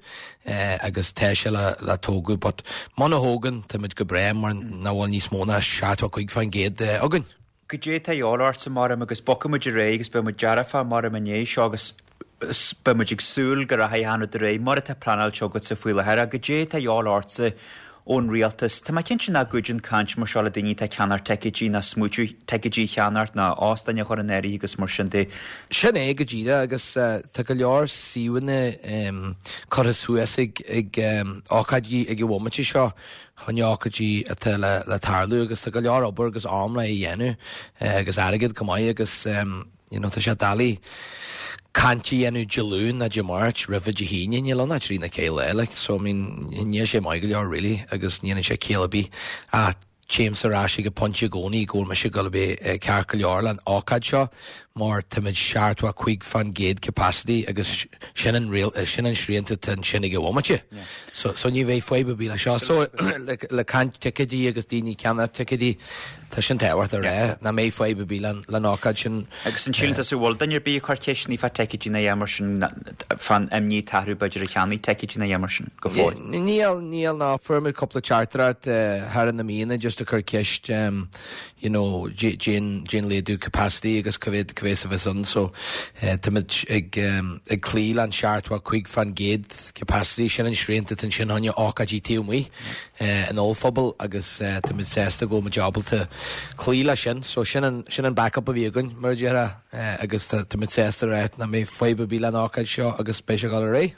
agus tá sé le le tógadh but muna thógann tá muid go breá mar nach bhfuil níos mó ná seachtó cúig fan gcéad againn. Goidé tá a dhíobháil ortsa maram agus bogfaidh muid ar aghaidh agus beidh muid dearfach maram i ndiaidh seo agus beidh muid ag súil go rachaidh achan rud ar aghaidh mar atá pleanáilte agatsa faoi láthair. Ach goidé tá a dhíobháil ortsa ón rialtas? Tá mé cinnte nach gcuidíonn caint mar seo le daoine atá ag ceannacht ticéidí ná smaoitiú ticéidí a cheannacht ná óstáin a chur in áirithe agus mar sin de. Sin é go díreach agus tá go leor suíomhanna curtha suas ag ócáidí ag an bhomaite seo chun ócáidí atá le tarlú agus tá go leor obair agus am le dhéanamh agus airgead go maith agus you know tá sé doiligh caint a dhéanamh Dé Luain nó Dé Máirt roimhe Dé hAoine, níl ann ach trí nó ceathair lá like so I mean níl sé maith go leor really agus ní dhéanann sé ciall ar bith ach téimse ar ais ag an pointe i gcónaí go bhfuil mise ag dul a bheith ceart go leor leis an ócáid seo mar táimid seachtó cúig fan gcéad capacity agus sin an riail sin an srianta atá ansin ag an bhomaite. So so ní bheidh fadhb ar bith le seo. So le le caint ticéidí agus daoine ag ceannach ticéidí tá sin tábhachtach a rá nach mbeidh fadhb ar bith le le an ócáid sin. Agus an síleann tusa bhfuil duine ar bith ag cur ceisteanna fá ticéidí nó a dhath mar sin fán imní atá orthu b'fhéidir a cheannaigh ticéidí nó a dhath mar sin go fóill? Níl níl ná fuair muid cúpla teachtaireacht thar na míonna just ag cur ceist you know cén cén laghdú capacity agus cá mhéad cá mhéad a bheas ann so táimid ag ag cloí le an seachtó cúig fan gcéad capacity sin an srianta atá ansin chun ócáidí taobh amuigh an ollphuball agus táimid sásta go bhfuil muid ábalta cloí leis sin so sin an sin an backup a bhí againn mar a déarfá agus táimid sásta rá nach mbeidh fadhb ar bith leis an ócáid seo agus beidh sé ag dul ar aghaidh.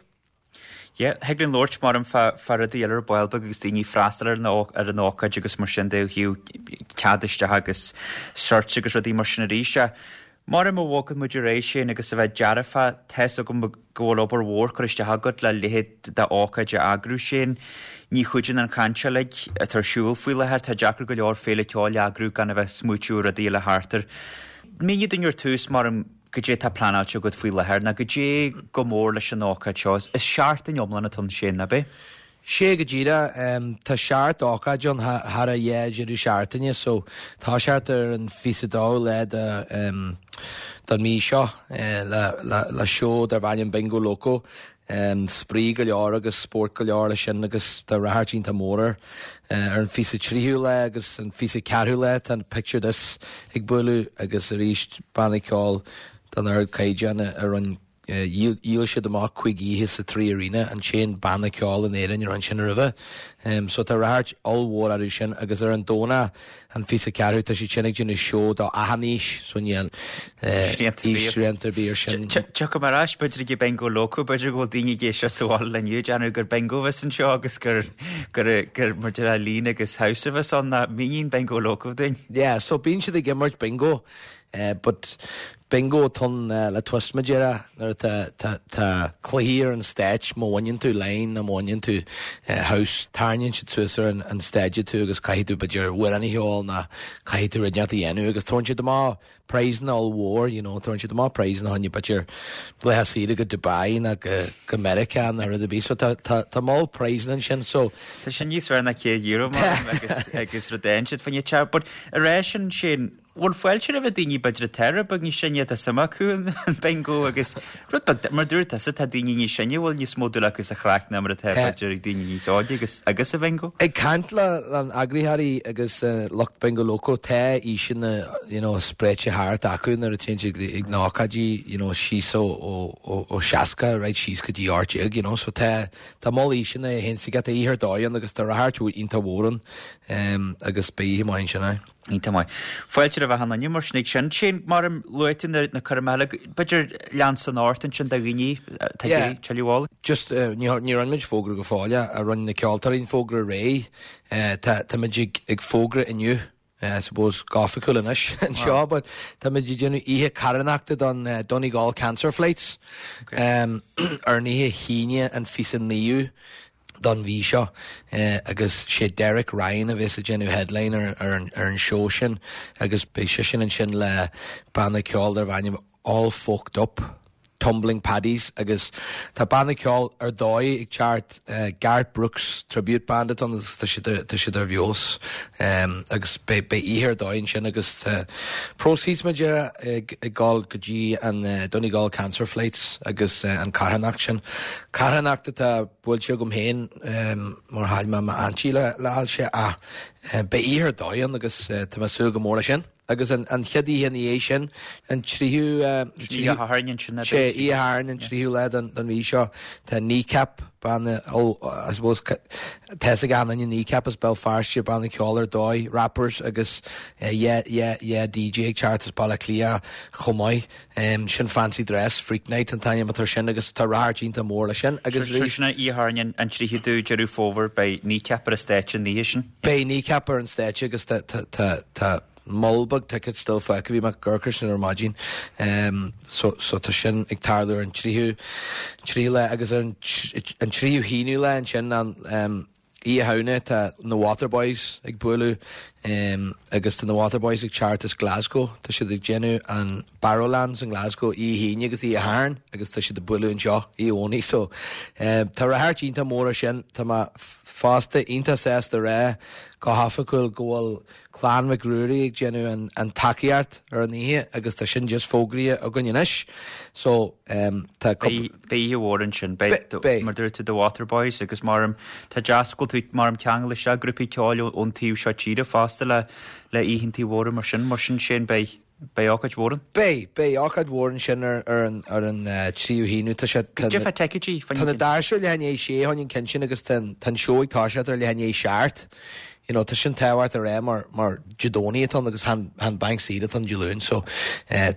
Yeah, thig linn labhairt maram fá fá rudaí eile ar ball beag agus daoine freastal ar an ar an ócáid agus mar sin de ó thaobh cead isteach agus certs agus rudaí mar sin arís. Maram a bhogann muid ar aghaidh sin agus a bheith dearfa tá's agam go bhfuil obair mhór curtha isteach agat le leithéid d'ócáid a eagrú sin. Ní chuidíonn an chaint uilig atá ar siúl faoi láthair, tá deacair go leor féile ceoil a eagrú gan a bheith smaoitiú ar rudaí eile thart air. Mínigh dúinn ar tús maram goidé tá pleanáilte agat faoi láthair ná goidé go mór leis an ócáid seo. Is seachtain iomlán atá ann sin, ab é? Sé go díreach tá seacht ócáid ann thar a dhá deireadh seachtaine so tá seacht ar an fiche dó lá de don mí seo le le le seó darb ainm Bingo Loco. Spraoi go leor agus spórt go leor leis sin agus tá ráchairt iontach mór air. Ar an fiche tríú lá agus an fiche ceathrú lá tá an Picture This ag bualadh agus arís banna ceoil den ardchaighdeán a rinne dhíol siad amach cúig oíche sa Three Arena, an t-aon banna ceoil in Éirinn a rinne sin roimhe. So tá ráchairt ollmhór orthu sin agus ar an Domhnach an fiche ceathrú tá siad sin ag déanamh seó do achan aois so níl aois srianta ar bith ar sin. Tiocfaidh mé ar ais b'fhéidir ag Bingo Loco, b'fhéidir go bhfuil daoine ag éisteacht sa bhaile inniu ag déanamh gur bingo a bheas anseo agus gur gur gur mar deir líne agus house a bheas ann ná míníonn Bingo Loco dúinn. Yeah, so bíonn siad ag imirt bingo but Bingo atá ann le twist mar a déarfá nuair atá tá tá cluichí ar an stage má bhaineann tú line nó má bhaineann tú house tarraingíonn siad suas ar an an stage tú agus caithfidh tú b'fhéidir amhrán a cheol nó caithfidh tú rud inteacht a dhéanamh agus tabharann siad amach prizeanna ollmhór you know tabharann siad amach prizeanna fá choinne b'fhéidir laetha saoire go Dubai nó go go Meiriceá nó rud ar bith so tá tá tá moll prizeanna ansin so Tá sin níos fearr ná céad euro mar agus agus rud éigin siad faoin teach but ar ais ansin bhfuil fáilte roimh daoine b'fhéidir atá rud beag níos sine tá suim acu an bingo agus rud beag mar dúirt tusa tá daoine níos sine bhfuil níos mó dúil acu sa chraic ná mar atá b'fhéidir ag daoine níos óige agus agus sa bhingo. Ag caint le an eagraitheoirí agus lucht Bingo Loco tá aoiseanna you know spréite thart acu nuair a téann siad ag na hócáidí you know síos ó ó ó seasca right síos go dtí ocht déag you know so tá tá moll aoiseanna a théann siad oíche ar dóigh ann agus tá ráchairt iontach mhór ann um, agus beidh oíche maith ansin é. Iontach maith. Fáilte roimh achan duine mar sin ag sin. Sin mar a luaigh tú na na cur eile b'fhéidir lean san ort ansin do dhaoine tá Yeah. tuilleadh Just uh, ní ní rinne muid fógra go fóill a rinne na ceoltóirí an fógra réidh uh, tá tá muid ag, ag fógra inniu Uh, I suppose go hoifigiúil anois anseo, but tá muid ag déanamh oíche carthanachta don uh, Donegal Cancer Flights okay. um, ar an oíche hAoine an fiche naoú don mhí seo uh, agus sé Derek Ryan a bheas ag déanamh headline ar, ar, an, ar an show sin agus beidh sé sin ansin le banna ceoil darb ainm All Folked Up. Tumbling Paddies agus tá banna ceoil ar dóigh ag teacht uh, Garth Brooks tribute band atá ann tá siad tá siad ar bheos um, agus be be oíche ar dóigh sin agus uh, proceeds mar ag ag gabháil go dtí an uh, Donegal Cancer Flights agus uh, an carthanacht sin. Carthanacht atá buailte agam féin um, mar chaill mé m'aintín le le ailse a uh, be oíche ar dóigh ann agus uh, tá mé ag súil go mór leis sin. Agus an, an chéad oíche ina dhiaidh sin an tríú Oíche Shathairn sin sé oíche Shathairn an tríú lá den den mhí seo tá Kneecap banna ó I suppose tá gan an Kneecap as Béal Feirste banna ceoil ar dóigh rappers agus uh, yeah yeah yeah DJ ag teacht as Baile Átha Cliath chomh maith um, sin fancy dress freak night an t-ainm atá sin agus tá ráchairt iontach mór le sin agus Agus sin oíche Shathairn an tríú Deireadh Fómhair beidh Kneecap ar an stage an oíche sin. Beidh Kneecap ar an stage agus tá tá tá tá moll beag ticket still fágtha bhí mé ag amharc sin ar maidin um, so, so tá sin ag tarlú an tríú tríú lá agus an, an tríú haonú lá ansin an um, Oíche Shamhna tá na Waterboys ag bualadh um, agus tá na Waterboys ag teacht as Glasgow Tá siad ag déanamh an Barrowlands in Glasgow oíche hAoine agus oíche Shathairn agus tá siad ag bualadh anseo oíche Dhomhnaigh so um, tá ráchairt iontach mór sin tá mé fosta iontach sásta rá go hoifigiúil go bhfuil Clann Mhic Ruairí ag déanamh an, an tacaíocht ar an oíche agus tá sin just fógraithe againn anois so um, tá Beidh oíche mhór ansin Beidh. mar dúirt tú The Waterboys agus mar tá deas go bhfuil tú mar ceangal se grúpaí ceoil ón taobh seo tíre fosta le le oícheantaí mhóra mar sin mar sin sin beidh beidh ócáid mhór ann. Beidh beidh ócáid mhór ansin ar ar an ar an uh, tríú haonú tá sé Cad é fá ticéidí Tá na doirse leath i ndiaidh a sé an ceann sin agus tá an seó ag toiseacht ar leath i ndiaidh a seacht. You know, tá sin tábhachtach a rá mar mar Dé Domhnaigh atá agus han han bank saoire an Dé Luain so uh,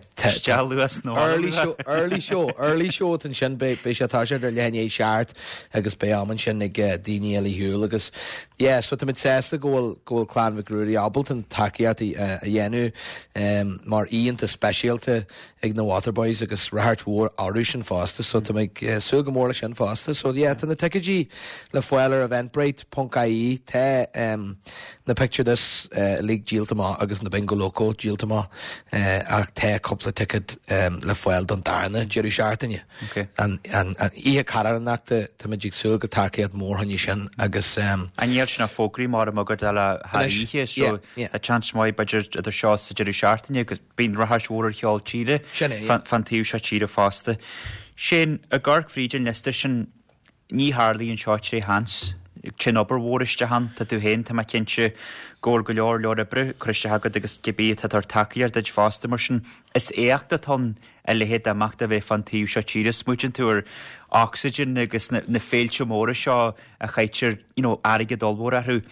Luas nó early show early show early show an sin be be sé tá sé ar leath i ndiaidh a seacht agus beidh am ansin ag uh, daoine eile shiúl agus yeah, so tá sásta go bhfuil go bhfuil Clann Mhic Ruairí ábalta an tacaíocht uh, a dhéanamh um, mar oícheanta speisialta ag na Waterboys agus ráchairt mhór orthu sin fosta so tá ag uh, súil go mór leis sin fosta so yeah, tá na ticéidí le fáil ar eventbrite.ie tá um, na picture this uh, league díolta amach agus na Bingo Loco díolta amach uh, ach tá cúpla ticket um, le fáil don darna deireadh seachtaine. Okay. An an an oíche carthanachta tá muid ag súil go tacaíocht mór chuige sin agus um, An níl sin na fógraí mar a mugur le Anois, haíche so yeah, yeah. a chance maith b'fhéidir idir seo sa deireadh seachtaine agus bíonn ráchairt mhór ar cheol tíre Sin é, yeah. fan taobh seo tíre fosta. Sin a gar fríd an liosta sin ní tharlaíonn seo tré sheans. Sin obair mhór isteach ann tá tú féin tá mé cinnte go bhfuil go leor leor oibre curtha isteach agat agus cibé tá tar tacaíocht duit fosta mar sin is éacht atá a leithéid d'imeacht a bheith fan taobh seo tíre smaoiníonn tú ar Oxygen agus na, na féilte móra seo a chaitear you know, airgead ollmhór orthu.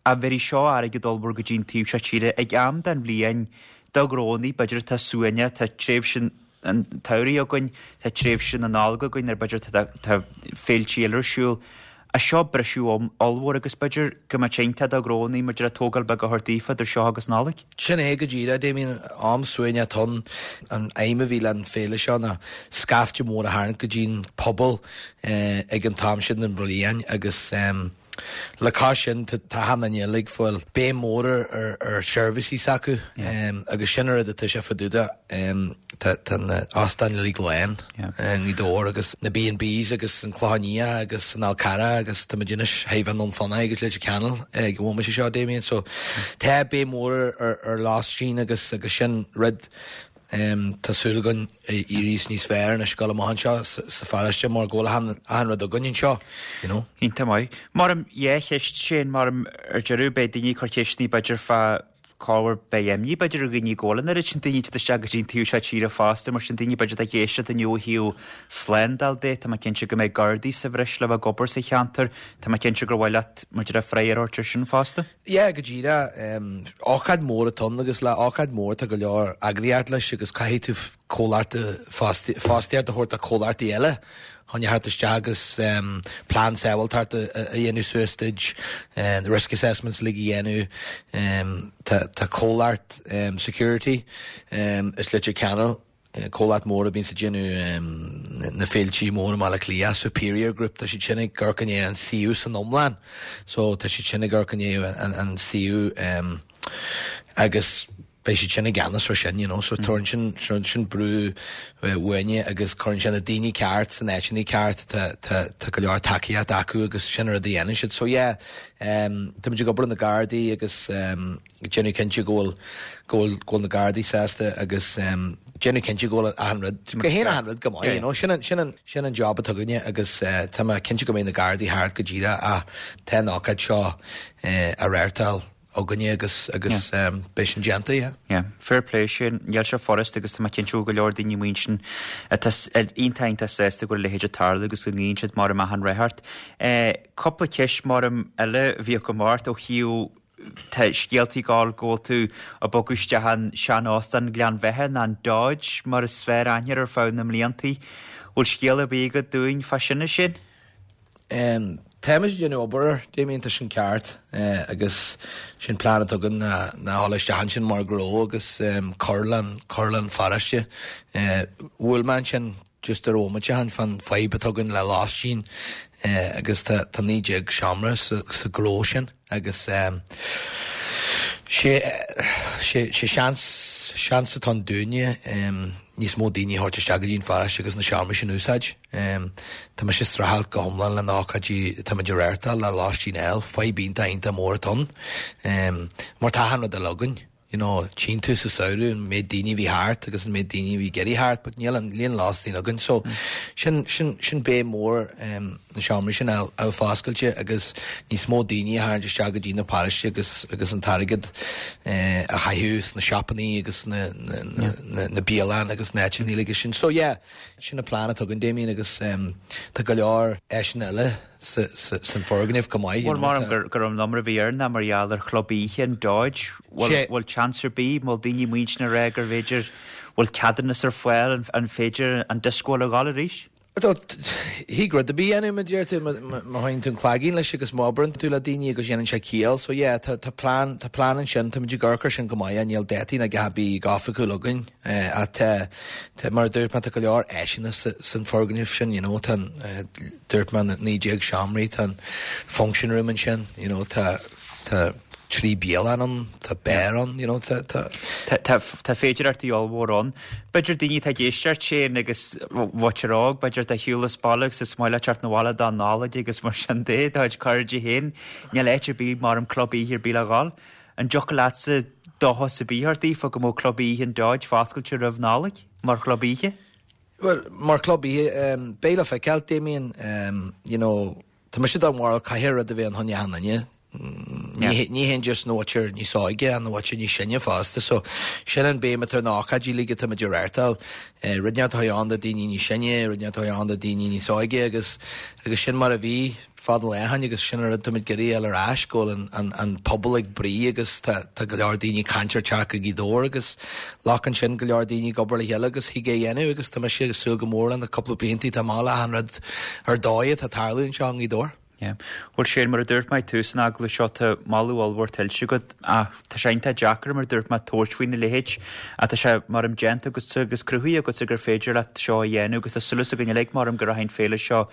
A bhí seo airgead ollmhór go dtí'n taobh seo tíre ag am den bhliain do ghrónaí b'fhéidir tá suaine tá tréimhse an tsamhraidh againn tá tréimhse na Nollag againn ar b'fhéidir tá, tá féilte eile ar siúl. Ach seo briseadh ollmhór agus b'fhéidir go mbeadh sé iontach do ghnónnaí maidir le tógáil beag a thabhairt daofa idir seo agus Nollaig. Sin é go díreach, Damien, am suaimhneach atá ann. An aidhm a bhí le an féile seo ná scaifte mór a tharraingt go dtí'n pobal ag an t-am sin den bhliain agus le cois sin tá achan duine uilig ag fáil béim mór ar ar seirbhísí s'acu agus sin an rud atá sé fá dtaobh de. Tá tá na óstáin uilig lán i nGaoth Dobhair agus na B and Bs agus an Clochán Liath agus an Fhál Carrach agus tá muid anois chóir a bheith i nDún Fionnachaidh agus Leitir Ceanainn ag an bhomaite seo, Damien. So tá béim mór ar ar lóistín agus agus sin rud tá súil againn éirí níos fearr anois ag gabháil amach anseo sa pharóiste mar go bhfuil achan achan rud againn anseo, you know. Iontach maith. Maram dhá cheist Shane, maram ar deireadh beidh daoine ag cur ceisteanna b'fhéidir fá corruair beidh imní b'fhéidir ar dhaoine go bhfuil an oiread sin daoine ag teacht isteach go dtí an taobh seo tíre fosta mar sin daoine b'fhéidir atá ag éisteacht inniu ó thaobh slándáil de, tá mé cinnte go mbeidh Gardaí sa bhreis le bheith ag obair sa cheantar, tá mé cinnte gur mhaith leat maidir le freagra a thabhairt ar sin fosta. Yeah, go díreach. Ócáid mhór atá ann agus le ócáid mhór tá go leor eagraíocht leis agus caithfidh tú comhlacht fostaíocht a thabhairt do chomhlachtaí eile chun a theacht isteach agus plean sábháilteachta a dhéanamh suas duit, risk assessments uilig a dhéanamh. Tá comhlacht security as Leitir Ceanainn, comhlacht mór a bhíonns ag déanamh na féiltí móra i mBaile Átha Cliath, Superior Group, tá siad sin ag amharc i ndiaidh an suíomh san iomlán. So tá siad sin ag amharc i ndiaidh an suíomh agus beidh siad sin i gceannas ar sin, you know, so tabharann sin, sin, sin brú uainne agus cuireann sé na daoine ceart san áiteanna ceart, tá, tá, tá go leor tacaíocht acu agus sin an rud a dhéanann siad. So yeah, um, tá muid ag obair le na Gardaí agus um, déanamh cinnte go bhfuil, go bhfuil, go bhfuil na Gardaí sásta agus um, déanamh cinnte go bhfuil achan rud, go théann achan rud go maith, you know, sin an, sin an, sin an job atá againne agus uh, tá mé cinnte go mbeidh na Gardaí thart go díreach ach tá an ócáid seo uh, á reáchtáil againne agus agus beidh sin déanta, yeah. Yeah, fair play Shane. Níl sé furast agus tá mé cinnte go bhfuil go leor daoine amuigh ansin atá iontach iontach sásta go bhfuil a leithéid ag tarlú agus go nguíonn siad mar amach an rath ort. Cúpla ceist mar eile a bhí agam ort ó thaobh tá scéaltaí ag gabháil go bhfuil tú ag bogadh isteach an sean-óstán Ghleann Bheatha nó an Dodge mar is fearr aithne air ar feadh na mbliantaí. Bhfuil scéal ar bith agat dúinn fá sin a Shane? Táimid ag déanamh obair air, Damien, tá sin ceart agus sin plean atá againn ná ná dhul isteach ansin mar ghnó agus cur le cur leis an pharóiste. Bhuail mé ansin just ar bhomaite ó shin fán fadhb atá againn le lóistín agus tá tá naoi déag seomra sa sa ghnó sin agus sé sé sé seans seans atá ann dúinne níos mó daoine a thabhairt isteach go dtí an pharóiste agus na seomraí sin a úsáid. Tá mise ag streachailt go hiomlán le na hócáidí atá muid ag reáchtáil le lóistín a fháil, fadhb iontach iontach mór atá ann. Mar tá achan rud eile againn, you know, tchíonn tú sa samhradh an méid daoine a bhí thart agus an méid daoine a bhí ag iarraidh theacht but níl an líon lóistín againn so sin sin sin béim mór na seomraí sin a fháil foscailte agus níos mó daoine a tharraingt isteach go dtí na paróiste agus agus an t-airgead a chaitheamh sna siopannaí agus na na na na bialann agus na áiteanna uilig sin. So yeah, sin an plean atá againn Damien agus tá go leor áiseanna eile sa sa san foirgneamh go maith, you Bhuel know, maram tá. gur gur an number a bhí air ná mar gheall ar chlub oíche an Dodge. Bhfuil Sé. bhfuil chance ar bith, bhfuil daoine amuigh ansin ag rá gur bhféidir, bhfuil ceadúnas ar fáil, an an féidir an disco a ghabháil arís? Tá, thig rud ar bith a dhéanamh, mar a deir tú, má má théann tú an cloigeann leis agus má oibreann tú le daoine agus dhéanann sé ciall. So yeah, tá tá plean tá plean ansin, tá muid ag amharc air sin go maith, níl dátaí ná a dhath ar bith go hoifigiúil againn. Ach tá tá mar a dúirt mé tá go leor áiseanna sa san foirgneamh sin, you know, tá an dúirt mé na naoi déag seomraí, tá an function room ansin, you know, tá tá trí bialann ann, tá beár ann, you know, tá tá. Tá tá tá féidearthachtaí ollmhór ann. B'fhéidir daoine atá ag éisteacht Shane agus mhuintir óg, b'fhéidir atá ar shiúl as baile agus is maith leat teacht 'na bhaile don Nollaig agus mar sin de, do chuid cairde féin, níl áit ar bith mar an club oíche ar bith le dhul. An dtiocfadh leatsa dóchas ar bith a thabhairt daofa go mbeadh club oíche an Dodge foscailte roimh Nollaig, mar chlub oíche? Bhuel, mar chlub oíche, beidh le feiceáil, Damien, you know, tá mise den bharúil caithfidh rud a bheith ann chun achan duine. Ní ní haon just an mhuintir níos óige an mhuintir níos sine fosta, so sin an béim atá ar na hócáidí uilig atá muid ag reáchtáil. Rud inteacht atá ann do daoine níos sine, rud inteacht atá ann do daoine níos óige agus agus sin mar a bhí fad an lae ó shin agus sin an rud táimid ag iarraidh a fháil ar ais, go bhfuil an an an pobal ag bruith agus tá tá go leor daoine ag caint ar teacht go Gaoth Dobhair agus glacann sin go leor daoine ag obair le chéile agus thig é a dhéanamh agus tá mise ag súil go mór le na cúpla blianta atá amach le achan rud ar dóigh atá ag tarlú anseo i nGaoth Dobhair. Yeah. Bhuel Shane, mar a dúirt mé ag tús an agallaimh seo, tá moladh ollmhór tuillte agat ach tá sé iontach deacair mar a dúirt mé tabhairt faoina leithéid ach tá sé maram déanta agatsa agus cruthaithe agatsa gur féidir leat seo a dhéanamh agus tá súil againn uilig maram go rachaidh an féile seo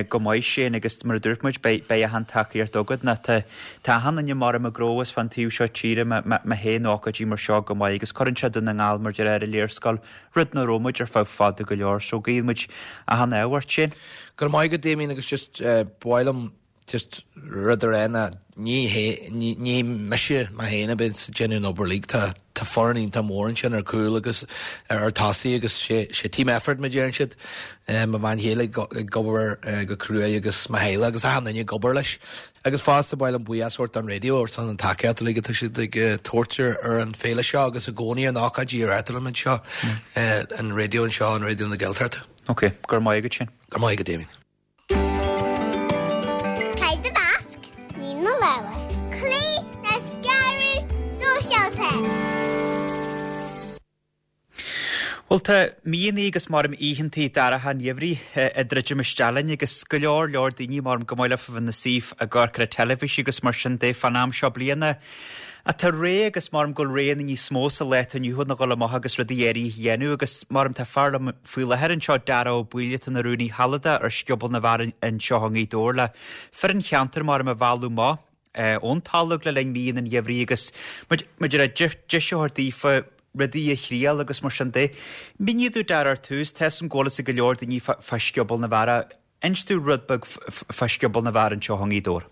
go maith Shane agus mar a dúirt muid beidh beidh achan tacaíocht agat ná tá tá achan duine maram i gcró is fan taobh seo tíre má má théann ócáidí mar seo go maith agus cuireann sé Dún na nGall mar deir ar an léarscáil rud nach raibh muid ar feadh fada go leor so guíonn muid achan ádh ort Shane. Go raibh maith agat Damien agus just ba mhaith liom just rud a rá ná ní hé ní ní mise mé féin a bhíonns ag déanamh an obair uilig tá tá foireann iontach mór ansin ar cúl agus ar tosaí agus sé sé team effort mar deireann siad mo bhean chéile ag ag obair go cruaidh agus mo theaghlach agus achan duine ag obair leis agus fosta ba mhaith liom buíochas a thabhairt don raidió ar son an tacaíocht uilig atá siad ag tabhairt ar ar an féile seo agus i gcónaí ar na ócáidí a reáchtálann muid seo an raidió anseo an Raidió na Gaeltachta. Ok, go raibh maith agat Shane. Go raibh maith agat Damien. Caith do mhasc, ní na lámha. Cloígh le scaradh sóisialta. Bhuel tá míonnaí agus maram oícheantaí dorcha an gheimhridh ag druidim isteach linn agus go leor leor daoine maram go maith leo a bheith ina suí ag amharc ar an teilifís agus mar sin de fán am seo bliana. Ach tá ré agus maram go bhfuil ré níos mó sa lá atá inniu ann a dhul amach agus rudaí áirithe a dhéanamh agus maram tá fear liom faoi láthair anseo Dara Ó Baoill atá ina rúnaí shealadach ar Scioból na bhFear anseo i nGaoth Dobhair le fir an cheantair maram a mhealladh amach ón talamh le linn míonna an gheimhridh agus maidir le deis a thabhairt daofa rudaí a thriail agus mar sin de. Mínigh domh Dara ar tús, tá 'fhios a'm go bhfuil 'fhios ag go leor daoine fá Scioból na bhFear. Inis domh rud beag fá Scioból na bhFear anseo i nGaoth Dobhair.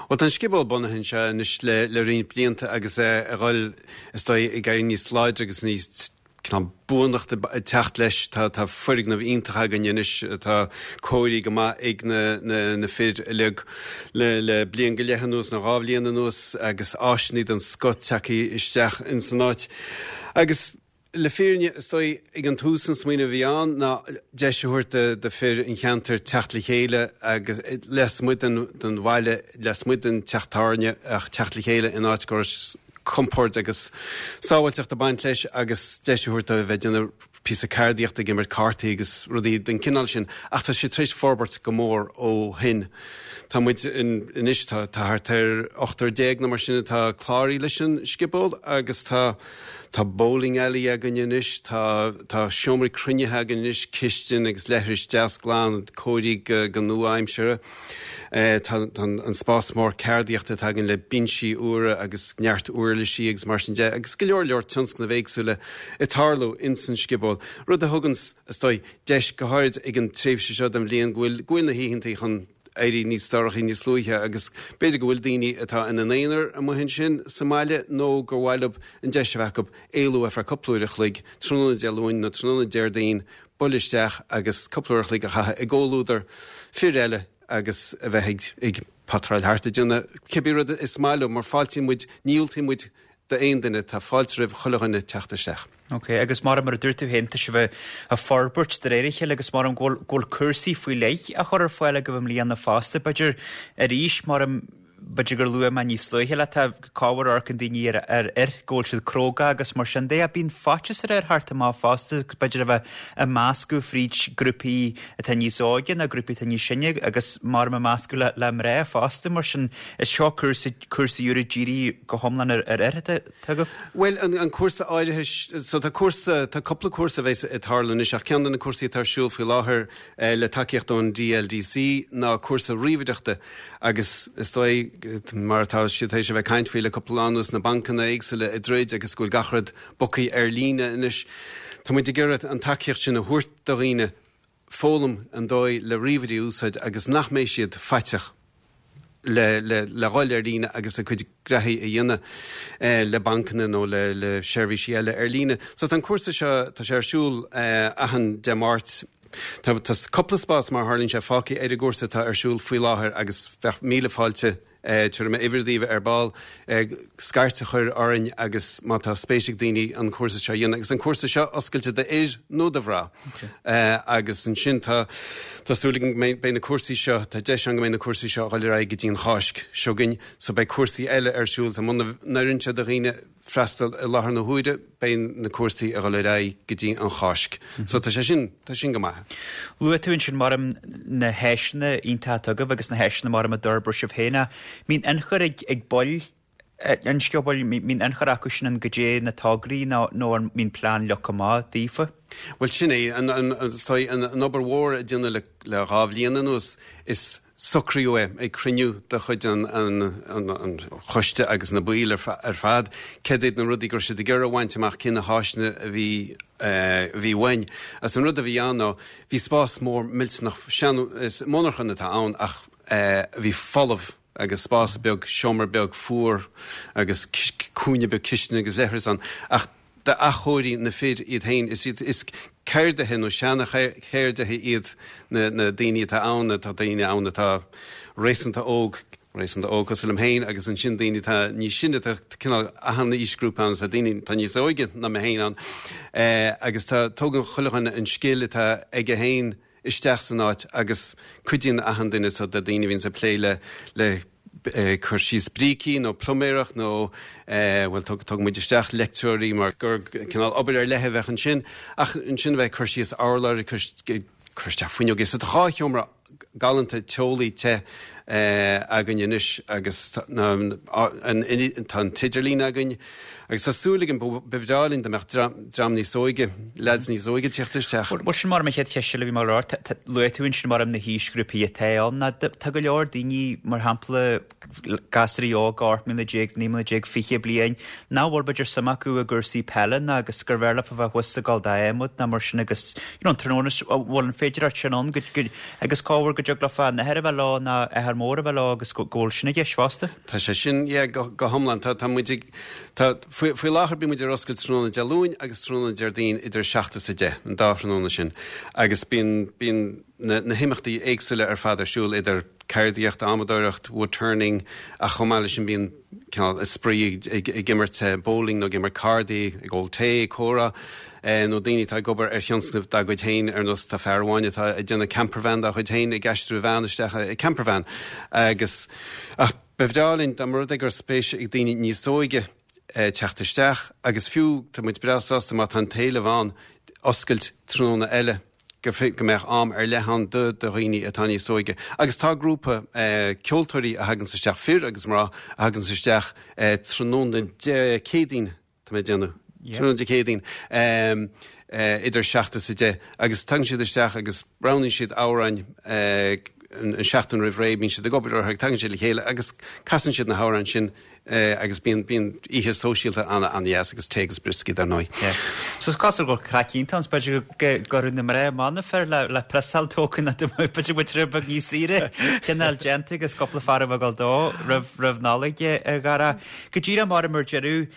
Bhuel tá an scioból bunaithe anseo anois le le roinnt blianta agus é ag dhul is dóigh ag éirí níos láidre agus níos cineál buanachta ag teacht leis. Tá tá foirgneamh iontach againn anois atá cóirithe go maith ag na na na fir uilig le le bliain go leith anuas nó dhá bhliain anuas agus áiseanna den scoth tagtha isteach ins an áit. Agus le fírinne, is dóigh, ag an tús an smaoineamh a bhí ann ná deis a thabhairt do fir an cheantair teacht le chéile agus lasmuigh den bhaile, lasmuigh den teach tábhairne ach teacht le chéile in áit go raibh compord agus sábháilteacht ag baint leis agus deis a thabhairt dóibh a bheith ag déanamh píosa ceardaíochta, ag imirt cártaí agus rudaí den chineál sin. Ach tá sé tar éis forbairt go mór ó shin. Tá muid anois, tá thart ar ochtar déag nó mar sin atá cláraithe leis an scioból agus tá tá bowling alley againn anois, tá tá seomraí cruinnithe againn anois, cistin agus leithris deas glan cóirithe go nua-aimseartha. Tá an spás mór ceardaíochta atá againn le binsí úra agus neart uirlisí agus mar sin de agus go leor leor tionscnaimh éagsúla ag tarlú ins an scioból, rud a thuganns, is dóigh, deis go háirid ag an tréimhse seo den bhliain go bhfuil go bhfuil na hoícheantaí chun éirí níos dorchaí níos luaithe agus b'fhéidir go bhfuil daoine atá ina n-aonar amuigh ansin sa mbaile nó gur mhaith leo an deis a bheith acu éalú ar feadh cúpla uair a chloig tráthnóna Dé Luain nó tráthnóna Déardaoin, bualadh isteach agus cúpla uair a chloig a chaitheamh i gcomhluadar fir eile agus a bheith ag patráil thart ag déanamh cibé rud is maith leo mar fáiltíonn muid, ní dhiúltaíonn muid d'aon duine, tá fáilte roimh chuile dhuine teacht isteach. Ok, agus mar mar a dúirt tú féin, tá sibh ag forbairt de réir a chéile agus mar go bhfuil cúrsaí faoi leith á chur ar fáil agaibh i mbliana fosta, b'fhéidir arís mar b'fhéidir gur luaigh mé níos luaithe leat, tá corruair amharcann daoine ar ar fhir go bhfuil siad cróga agus mar sin de, ach bíonn faitíos ar fhir theacht amach fosta, b'fhéidir a bheith ag meascadh fríd grúpaí atá níos óige nó grúpaí atá níos sine agus mar ag meascadh le le mná fosta mar sin is seo cúrsa cúrsaí úra dírithe go hiomlán ar ar fhir atá agaibh? Bhuel an an cúrsa áirithe so tá cúrsa tá cúpla cúrsa a bheas ag tarlú anois ach ceann de na cúrsaí atá ar siúl faoi láthair le tacaíocht ón DLDC ná cúrsa ríomhaireachta agus is dóigh mar atá siad tar éis a bheith ag caint faoi le cúpla lá anuas na bancanna éagsúla ag druid agus go bhfuil gach rud bogtha ar líne anois. Tá muid ag iarraidh an tacaíocht sin a thabhairt do dhaoine foghlaim an dóigh le ríomhairí a úsáid agus nach mbeidh siad faiteach le le le dhul ar líne agus a gcuid graithí a dhéanamh le bancanna nó le le seirbhísí eile ar líne. So tá an cúrsa seo, tá sé ar siúl achan Dé Máirt. Tá tá cúpla spás mar a tharlaíonn sé fágtha ar an gcúrsa atá ar siúl faoi láthair agus bheadh míle fáilte tabharfaidh mé uimhir daoibh ar ball scairt a chur orainn agus má tá spéis ag daoine an cúrsa seo a dhéanamh agus an cúrsa seo oscailte d'fhir nó do mhná agus ansin tá tá súil againn go mbeidh beidh na cúrsaí seo tá deis ann go mbeidh na cúrsaí seo a dhul ar aghaidh go dtí an Cháisc seo chugainn so beidh cúrsaí eile ar siúl so muna n-oireann sé do dhaoine freastal i láthair na huaire, beidh na cúrsaí ag dul ar aghaidh go dtí an Cháisc. So tá sé sin, tá sin go maith. Luaigh tú ansin mar na háiseanna iontacha atá agaibh agus na háiseanna mar a d'fhorbair sibh féin. Mbíonn ionchur ag ag baill an sciobóil, mbíonn ionchur acu sin in goidé na tograí nó nó an mbíonn plean leagtha amach daofa? Bhuel sin é, an an an an obair mhór a déanadh le le dhá bhliain anuas, is socraíodh é ag cruinniú de chuid an an an choiste agus na baill ar fad, céard iad na rudaí go raibh siad ag iarraidh a bhaint amach, cé na háiseanna a bhí a bhí uainn. Agus an rud a bhí ann ná, bhí spás mór millteanach, sean, is monarchan atá ann ach bhí folamh agus spás beag, seomra beag fuar agus cúinne beag cistine agus leithreas ann ach d'athchóirigh na fir iad féin. Is iad, is ceardaithe nó seana-cheardaithe iad na, na daoine atá ann, tá daoine ann atá réasúnta óg, réasúnta óg cosúil liom féin agus ansin daoine atá níos sine, tá cineál achan aoisghrúpa ann, tá daoine atá níos óige ná mé féin ann agus tá, tógann chuile dhuine an scil atá aige féin isteach san áit agus cuidíonn achan duine so tá daoine a bhíonns ag plé le le cur síos brící nó pluiméireacht nó bhuel tugann muid isteach leictreoirí mar gur cineál obair ar leith a bheadh ansin ach ansin a bheith ag cur síos urláir ag cur isteach fuinneoga so tá dhá sheomra galánta teolaí te againn anois agus tá an t-idirlíon againn agus tá súil againn, ba bhreá linn dá mbeadh dream níos óige, leaids níos óige ag tíocht isteach. Bhuel sin mar mo chéad cheist eile a bhí mé a rá, luaigh tú ansin mar na haoisghrúpaí atá ann, tá go leor daoine mar shampla gasraí óga ocht mbliana déag, naoi mbliana déag, fiche bliain, nach bhfuil b'fhéidir suim acu i gcúrsaí peile ná agus gur bhfearr leofa bheith thuas ag gabháil d'adhmad ná mar sin agus you know an tráthnóna bhfuil an féidireacht sin ann go, go, agus cá bhfuair go dtig leofa an athair a bheith leo ná athair mór a bheith leo agus go bhfuil sin i gceist fosta? Tá sé sin, yeah, go, go hiomlán. Tá, tá muid ag, tá, faoi, faoi láthair bíonn muid ar oscailt tráthnóna Dé Luain agus tráthnóna Déardaoin idir a seacht is a deich, an dá thráthnóna sin. Agus bíonn, bíonn na, na himeachtaí éagsúla ar fad ar siúl idir ceardaíocht, adhmadóireacht, wood turning, ach chomh maith leis sin bíonn cineál spraoi ag, ag imirt bowling nó ag imirt cárdaí, ag ól tae, ag comhrá. Nó daoine atá ag obair ar thionscnamh dá gcuid féin, ar nós tá fear amháin atá ag déanamh campervan dá chuid féin, ag aistriú a bhean isteach i campervan. Agus, ach ba bhreá linn dá mba rud é go raibh spéis ag daoine níos óige teacht isteach agus fiú, tá muid breá sásta má tá an t-éileamh ann, oscailt tráthnóna eile go go mbeadh am ar leith ann do do dhaoine atá níos óige. Agus tá grúpa ceoltóirí a thaganns isteach, fir agus mná, a thaganns isteach tráthnóna Dé Céadaoin, tá mé ag déanamh, tráthnóna Dé Céadaoin, idir seacht is a deich, agus tagann siad isteach agus roghnaíonn siad amhráin an seachtain roimh ré, bíonn siad ag obair orthu, tagann siad le chéile agus casann siad na hamhráin sin agus bíonn bíonn oíche sóisialta an-an-dheas agus tae agus brioscaí dar ndóigh. So is cosúil go bhfuil craic iontach ann, b'fhéidir go go raibh na mná amach na fir le le priosáil tócainn b'fhéidir muid rud beag níos saoire cineál déanta agus cúpla fear a bheith ag dul dó roimh roimh Nollaig a Dhara. Go díreach mar mar deireadh,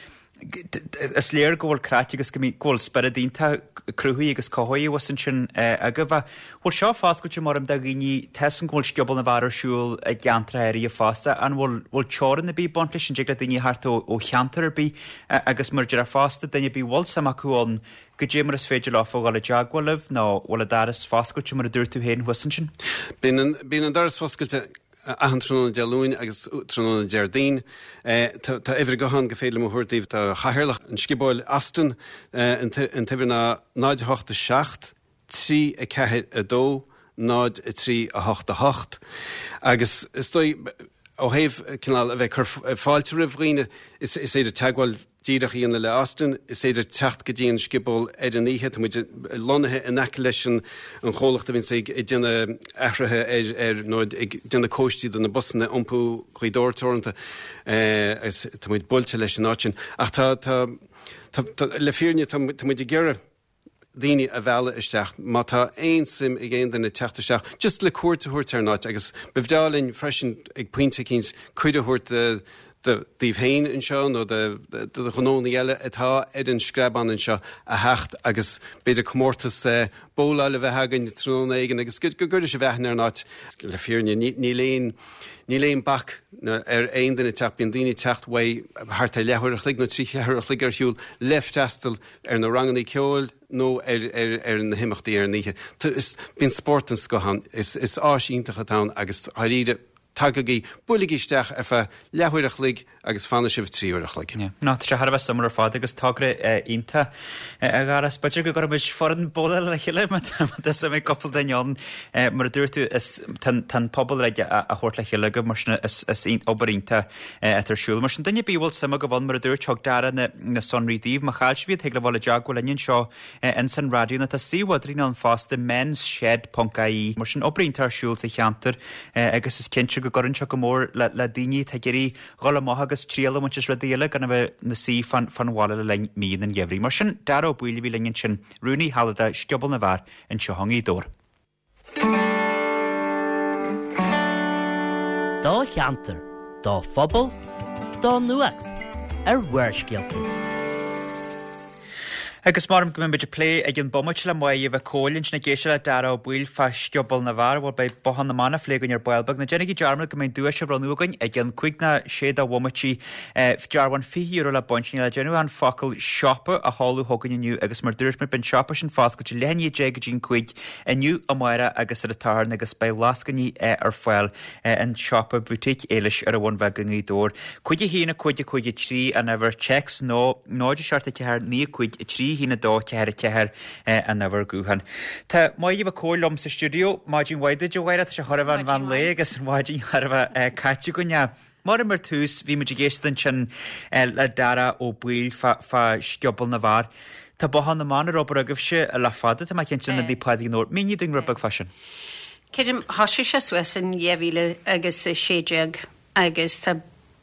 is léir go bhfuil craic agus go bhfuil spiorad iontach cruthaithe agus cothaithe thuas ansin agaibh. Ach bhfuil seo foscailte mar do dhaoine, tá 'fhios a'm go bhfuil Scioból na bhFear ar siúl i gceantracha áirithe fosta, an bhfuil bhfuil teorainn ar bith ag baint leis, an dtig le daoine theacht ó ó cheantar ar bith agus mar a déarfá fosta, duine ar bith a bhfuil suim acu ann, goidé mar is féidir leofa dhul i dteagmháil libh nó bhfuil an doras foscailte mar a dúirt tú féin thuas ansin? Bíonn an bíonn an doras foscailte achan tráthnóna Dé Luain agus tráthnóna Déardaoin. Tá uimhir gutháin gur féidir liom a thabhairt daoibh do chathaoirleach an Sciobóil, Austin. An t-uimhir ná náid a hocht a seacht, trí a ceathair a dó, náid a trí a hocht a hocht. Agus is dóigh, ó thaobh cineál a bheith ag cur fáilte roimh dhaoine, is féidir teagmháil díreach a dhéanamh le Austin. Is féidir teacht go dtí an scioból ar an oíche. Tá muid lonnaithe in aice leis an chomhlacht a bhíonns ag déanamh athruithe ar, ar, nó ag déanamh cóistí do na busanna Iompú Ghaoth Dobhair Teoranta agus tá muid buailte leis an áit sin. Ach tá, tá, tá, tá, le fírinne tá, tá muid ag iarraidh daoine a mhealladh isteach. Má tá aon suim ag aon duine teacht isteach, just le cuairt a thabhairt ar an áit agus ba bhreá linn freisin ag pointe eicínt cuireadh a thabhairt do daoibh féin anseo nó do ghnónna eile atá ar an Screabán anseo a theacht agus b'fhéidir comórtas bowláil a bheith againn tráthnóna éigin agus go gcuirfidh sibh aithne ar an áit. Le fírinne, níl aon níl aon bac ar aon duine teacht, bíonn daoine ag teacht uaidh thart ar leathuair a chloig nó trí cheathrú a chloig ar shiúl le freastal ar na ranganna ceoil nó ar ar ar na himeachtaí ar an oíche. Bíonn spórt den scoth ann, is is áis iontach atá ann agus dáiríre, Tagaigí, buailigí isteach ar feadh leathuair a chloig agus fanfaidh sibh trí uair a chloig. Ná, tá sé thar a bheith suimiúil ar fad agus togra iontach a Dhara. B'fhéidir go gcuirfimid foireann bowlála le chéile má tá suim ag cúpla duine ann. Mar a dúirt tú, is tá an pobal uilig a thabhairt le chéile agaibh mar sin is obair iontach atá ar siúl. Mar sin duine ar bith a bhfuil suim agaibh ann, mar a dúirt, thug Dara na sonraí daoibh. Má chaill sibh iad, thig libh dul i dteagmháil linn anseo ins an raidió nó tá suíomh idirlín ann fosta, mensshed ponc ie. Mar sin obair iontach ar siúl sa cheantar agus is cinnte go gcuireann seo go mór le daoine atá ag iarraidh dhul amach agus triail a bhaint as rudaí eile gan a bheith 'na suí fan bhaile le linn mí an gheimhridh. Mar sin, Dara Ó Baoill a bhí linn ansin, Rúnaí Shealadach Scioból na bhFear anseo i nGaoth Dobhair. Do cheantar, do phobal, do nuacht ar Bharrscéalta. Agus maram go mbeidh muid ag plé ag an bomaite le Máire Mhic Cóil ansin ag éisteacht le Dara Ó Baoill fá Scioból na bhFear. Bhuel beidh Bothán na mBan á phlé againn ar ball beag. Ná déanaigí dearmad go mbeidh duais á bhronnadh againn ag an cúig ná sé de bhomaití. Dearbhán fiche euro le baint. Níl le déanamh ach an focal siopa a sheoladh chugainn inniu agus mar dúirt muid beidh an siopa sin foscailte leath i ndiaidh a deich go dtí an cúig inniu, amárach agus ar an tSatharn agus beidh lascainí ar fáil in siopa Boutique Éilis ar an Bhun Bheag i nGaoth Dobhair. Cúig a haon a cúig a cúig a trí an uimhir téacs nó náid a seacht a ceathair naoi a cúig a trí a haon a dó ceathair a ceathair an uimhir gutháin. Tá Máire Mhic Cóil liom sa stiúideo. Maidin mhaith duit, a Mháire. Tá sé chóir a bheith an mheán lae agus an mhaidin chóir a bheith caite againn. Mar mar tús, bhí muid ag éisteacht ansin le Dara Ó Baoill fá Scioból na bhFear. Tá Bothán na mBan ar obair agaibhse le fada, tá mé cinnte, in Ionad Naomh Pádraig i nDobhar. Mínigh dúinn rud beag fá sin. Creidim, thosaigh sé suas in dhá mhíle agus a sé déag agus tá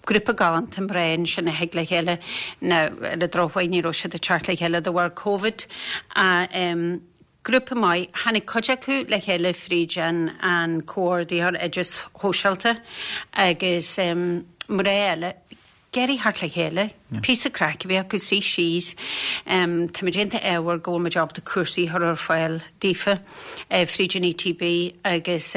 grúpa galánta mná ansin a thig le chéile, now ar an drochuair ní raibh siad ag teacht le chéile de bharr Covid, ach grúpa maith, tháinig cuid acu le chéile fríd an an Comhordaitheoir Oideachais Shóisialta agus mná eile ag iarraidh theacht le chéile, píosa craic a bheith acu, suí síos. Táimid iontach ádhmhar go bhfuil muid ábalta cúrsaí a chur ar fáil daofa fríd an ETB agus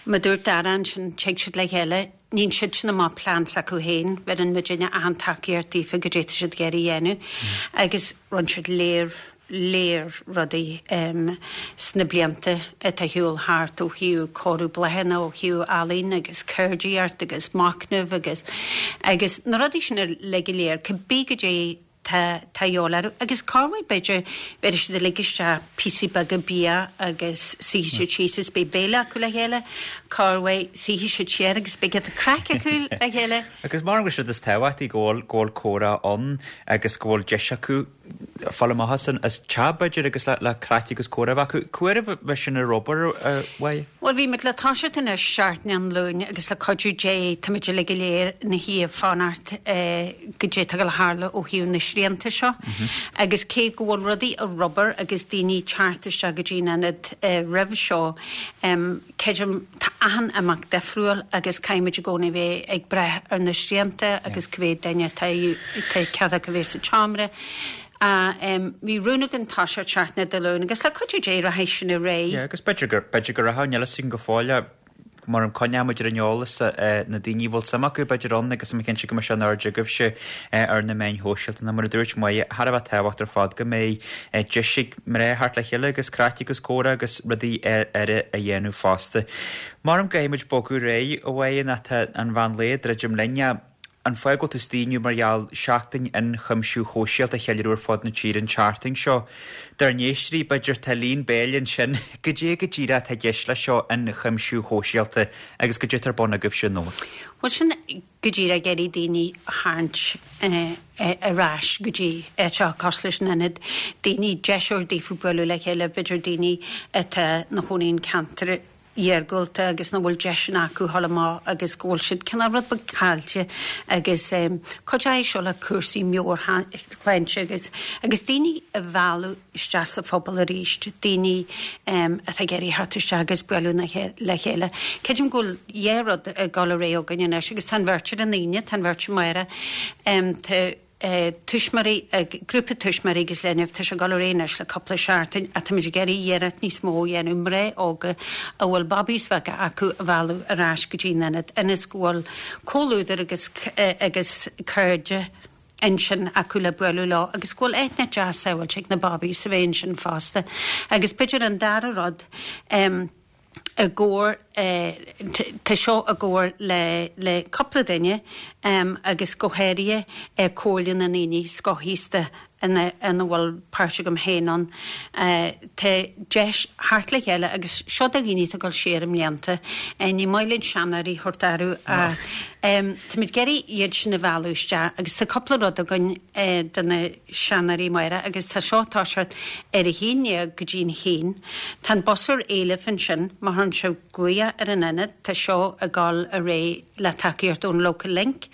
mar dúirt Dara ansin, tig siad le chéile, níonn siad sin amach plean s'acu féin, bheireann muidinne achan tacaíocht daofa goidé atá siad ag iarraidh a dhéanamh agus rinne siad léir léir rudaí sna blianta atá ar shiúl thart ó thaobh cóiriú bláthanna, ó thaobh ealaín agus ceardaíocht agus machnamh agus agus na rudaí sin uilig go léir, cibé goidé tá tá dhíobháil orthu. Agus corruair b'fhéidir bhéarfaidh siad uilig isteach píosaí beaga bia agus suífidh siad síos is beidh béile acu le chéile, corruair suífidh siad siar agus beidh giota craic acu le chéile. Agus mar an bhfuil sé is tábhachtaí go bhfuil go bhfuil comhrá ann agus go bhfuil deis acu fáil amach as an as teach b'fhéidir agus le le craic agus comhrá a bheith acu. Cá huair a bheidh sin ar obair, a Mháire? Bhuel bhí muid le toiseacht anois seachtain an Luain agus le cuidiú Dé tá muid uilig go léir ina shuí ag fanacht goidé atá ag dul a tharlú ó thaobh na srianta seo agus cé go bhfuil rudaí ar obair agus daoine ag teacht isteach go dtí an ionad roimh seo creidim tá achan imeacht difriúil agus caithfidh muid i gcónaí bheith ag brath ar na srianta agus cá mhéad duine atá atá cead acu bheith sa tseomra. Bhí rún againn toiseacht seachtain Dé Luain agus le cuidiú Dé rachaidh sin ar aghaidh. Yeah, agus b'fhéidir gur, b'fhéidir go rachadh, níl a fhios againn go fóill ach mar an coinneoidh muid ar an eolas na daoine a bhfuil suim acu b'fhéidir ann agus tá mé cinnte go mbeidh sé in airde agaibhse ar na meáin shóisialta nó mar a dúirt Máire, thar a bheith tábhachtach ar fad go mbeidh deis ag mná theacht le chéile agus craic agus comhrá agus rudaí eile a dhéanamh fosta. Maram go gcaithfidh muid bogadh ar aghaidh a Mháire nó tá an mheán lae ag druidim linn. An fáth go bhfuil tú istigh inniu mar gheall Seachtain Ionchuimsiú Shóisialta a cheiliúradh ar fud na tíre an tseachtain seo. Dár n-éisteoirí, b'fhéidir, tá líon béil ansin, goidé go díreach atá i gceist leis seo, ionchuimsiú shóisialta, agus goidé atá ar bun agaibhse i nDobhar. Bhuel, sin go díreach ag iarraidh daoine a tharraingt ar ais go dtí áiteacha cosúil leis an ionad, daoine, deis a thabhairt daofa bualadh le chéile, b'fhéidir daoine atá ina chónaí in ceantar iargúlta agus nach bhfuil deiseanna acu dhul amach agus go bhfuil siad cineál rud beag caillte agus cuideoidh seo le cúrsaí meabhairshláinte agus agus daoine a mhealladh isteach sa phobal arís, daoine atá ag iarraidh theacht isteach agus bualadh le chéile. Creidim go bhfuil dhá rud ag dul ar aghaidh againn anois agus tá an bheirt ar an Aoine, tá an bheirt amárach, tá. tuismitheoirí, grúpa tuismitheoirí agus linbh, tá sé ag dul ar aghaidh anois le cúpla seachtain ach táimid ag iarraidh iarracht níos mó a dhéanamh mná óga a bhfuil babaís bheaga acu a mhealladh ar ais go dtí an ionad ionas go bhfuil comhluadar agus agus cairde ansin acu le bualadh leo agus go bhfuil aithne deas sábháilte ag na babaís a bheith ansin fosta. Agus b'fhéidir an dara rud, i gcomhar tá seo i gcomhar le le cúpla duine agus go háirithe Comhairle na nDaoine Scothaosta ina ina bhfuil páirt agam féin ann. Tá deis theacht le chéile agus seo do dhaoine atá ag dul siar i mblianta. Ní maith linn seanóirí a thabhairt orthu ach táimid ag iarraidh iad sin a mhealladh isteach agus tá cúpla rud againn do na seanóirí amárach agus tá seo ag toiseacht ar a haon déag go dtí'n haon. Tá an bus ar éileamh ansin má chuireann sibh glaoch ar an ionad, tá seo ag dul ar aghaidh le tacaíocht ón Local Link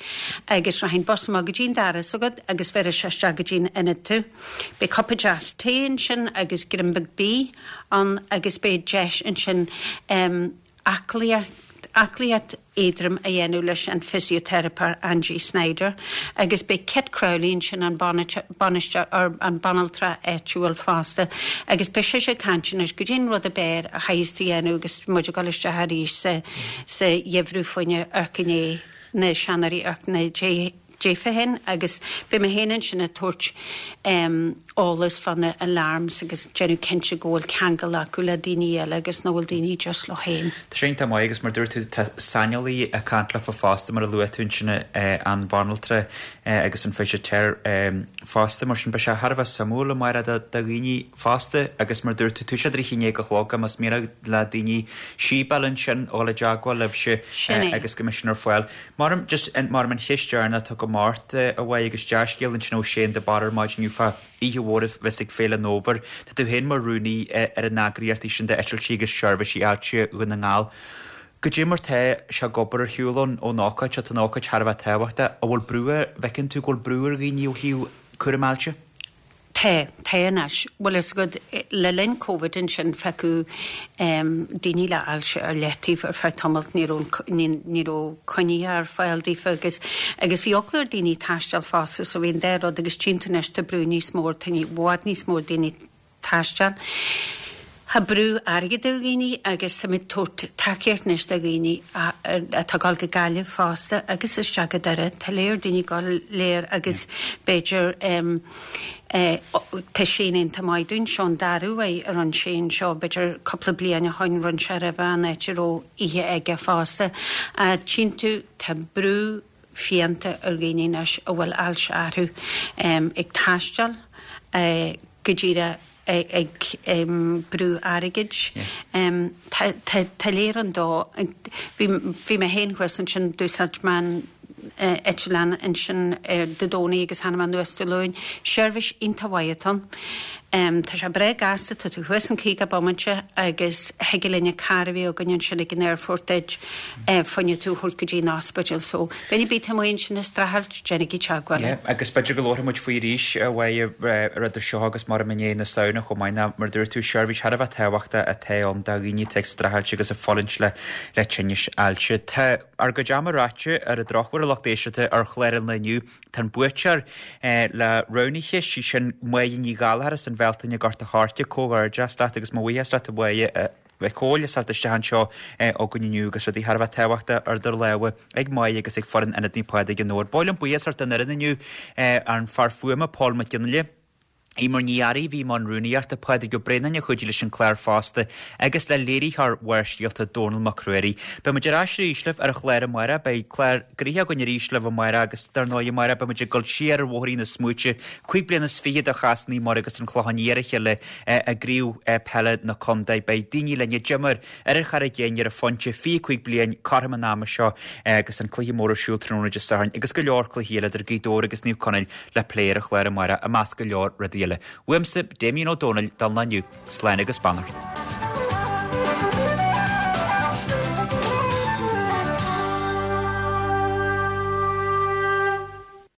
agus rachaidh an bus amach go dtí'n doras agat agus bhéarfaidh sé isteach go dtí'n ionad tú. Beidh cupa deas tae ansin agus greim beag bídh ann agus beidh deis ansin aclaíocht aclaíocht éadrom a dhéanamh leis an physiotheiripeoir Angie Snyder agus beidh Kit Crowley ansin an bainisteoir an banaltra áitiúil fosta agus beidh sise ag caint anois goidé an rud ab fhearr a chaithfeas tú dhéanamh agus muid ag dul isteach arís sa sa gheimhreadh fá choinne amharc i ndiaidh na seanóirí amharc i ndiaidh daofa féin agus beidh mé féin ansin ag tabhairt eolas fá na alarms agus déanamh cinnte go bhfuil ceangal acu le daoine eile agus nach bhfuil daoine just leo féin. Tá sé iontach maith agus mar dúirt tú tá saineolaí ag caint leofa fosta mar a luaigh tú ansin an bhanaltra agus an fisiteoir fosta mar sin beidh sé thar a bheith suimiúil amárach do dhaoine fosta agus mar dúirt tú tá sé idir a haon déag a chlog más mian le daoine síobáil ansin a dhul i dteagmháil libhse agus go mbeidh sin ar fáil. Mar just mar an cheist dheireanach atá agam ort a Mháire agus dea-scéal ansin ó Shane de Barra ar maidin inniu fá oíche mhór a bheas ag Féile an Fhómhair. Tá tú féin mar rúnaí ar an eagraíocht sin d'Eitiltí agus Seirbhísí Ailse Dhún na nGall. Goidé mar tá sé ag obair ar shiúl ón ón ócáid seo, tá an ócáid thar a bheith tábhachtach. An bhfuil brú ar, bhfeiceann tú go bhfuil brú ar dhaoine ó thaobh cúram ailse? Tá, tá anois. Bhfuil fhios agat, le linn Covid ansin fágadh daoine le ailse ar leataobh ar feadh tamaill, ní raibh, ní raibh coinní ar fáil daofa agus, agus bhí eagla ar daoine taisteal fosta so bhí an dá rud agus tchíonn tú anois tá brú níos mó, tá i bhfad níos mó daoine ag taisteal. Tá brú airgid ar dhaoine agus táimid ag tabhairt tacaíocht anois do dhaoine atá ag dul go Gaillimh fosta agus isteach go Doire. Tá léir daoine ag dul léir agus b'fhéidir tá Shane iontach maith dúinn. Seo an dara huair a rinne Shane seo b'fhéidir cúpla bliain ó shoin rinne sé roimhe an áit a raibh oíche aige fosta. Tchíonn tú tá brú fiánta ar dhaoine anois a bhfuil ailse orthu ag taisteal go díreach ag brú airgid. Tá léir an dó. Bhí mé féin thuas ansin, d'úsáid mé an eitleán ansin Dé Domhnaigh agus tháinig mé anuas Dé Luain. Seirbhís iontach mhaith atá ann. Tá sé breá gasta, tá tú thuas in caoga bomaite agus thig linn an carr a bhí againn ansin ag an aerfort duit fá choinne tú a thabhairt go dtí an ospidéal. So, duine ar bith atá amuigh ansin ag streachailt, déanaigí teagmháil linn. Yeah, agus b'fhéidir go labharfaidh muid faoi arís a Mháire idir seo agus mar i ndiaidh na Samhna chomh maith ná mar a dúirt tú, seirbhís thar a bheith tábhachtach atá ann do dhaoine atá ag streachailt agus ag fulaingt le le tinnis ailse. Tá ár gcuid ama ráite ar an drochuair a lucht éisteachta ar chlár an lae inniu. Tá an buaiteoir le roghnaithe, sí sin Máire Ní Ghallchóir as an Bhealtaine Gort a' Choirce. Comhghairdeas leat agus mo bhuíochas leat a Mháire a bheith chomh eolasach isteach anseo againn inniu agus rudaí thar a bheith tábhachtach ar do lámha ag Máire agus ag foireann Ionad Naomh Pádraig an Fhómhair. Ba mhaith liom buíochas a thabhairt don fhoireann inniu, an fear fuaime Paul Mac Fhionnghaile, Eimear Ní Fhearraigh a bhí i mbun rúnaíochta, Pádraig Ó Braonáin a chuidigh leis an clár fosta agus le léiritheoir Bharrscéalta Dónal Mac Ruairí. Beidh muid ar ais arís libh ar an chlár amárach. Beidh clár gnoitheach againn arís libh amárach agus dar ndóigh amárach beidh muid ag dul siar ar bhóithrín na smaointe, cúig bliana is fiche de chás Naomh Muire agus an Clochán Liath ar a chéile i gcraobh peile na contae. Beidh daoine linn a d'imir ar an Charraig Fhinn ar an phointe fiche cúig bliain cothrom an ama seo agus an cluiche mór ar siúl tráthnóna Dé Sathairn agus go leor cluichí eile idir Gaoth Dobhair agus Naomh Conaill le plé ar an chlár amárach i measc go leor rudaí eile. Uaimse, Damien Ó Dónaill, don lá inniu, slán agus beannacht.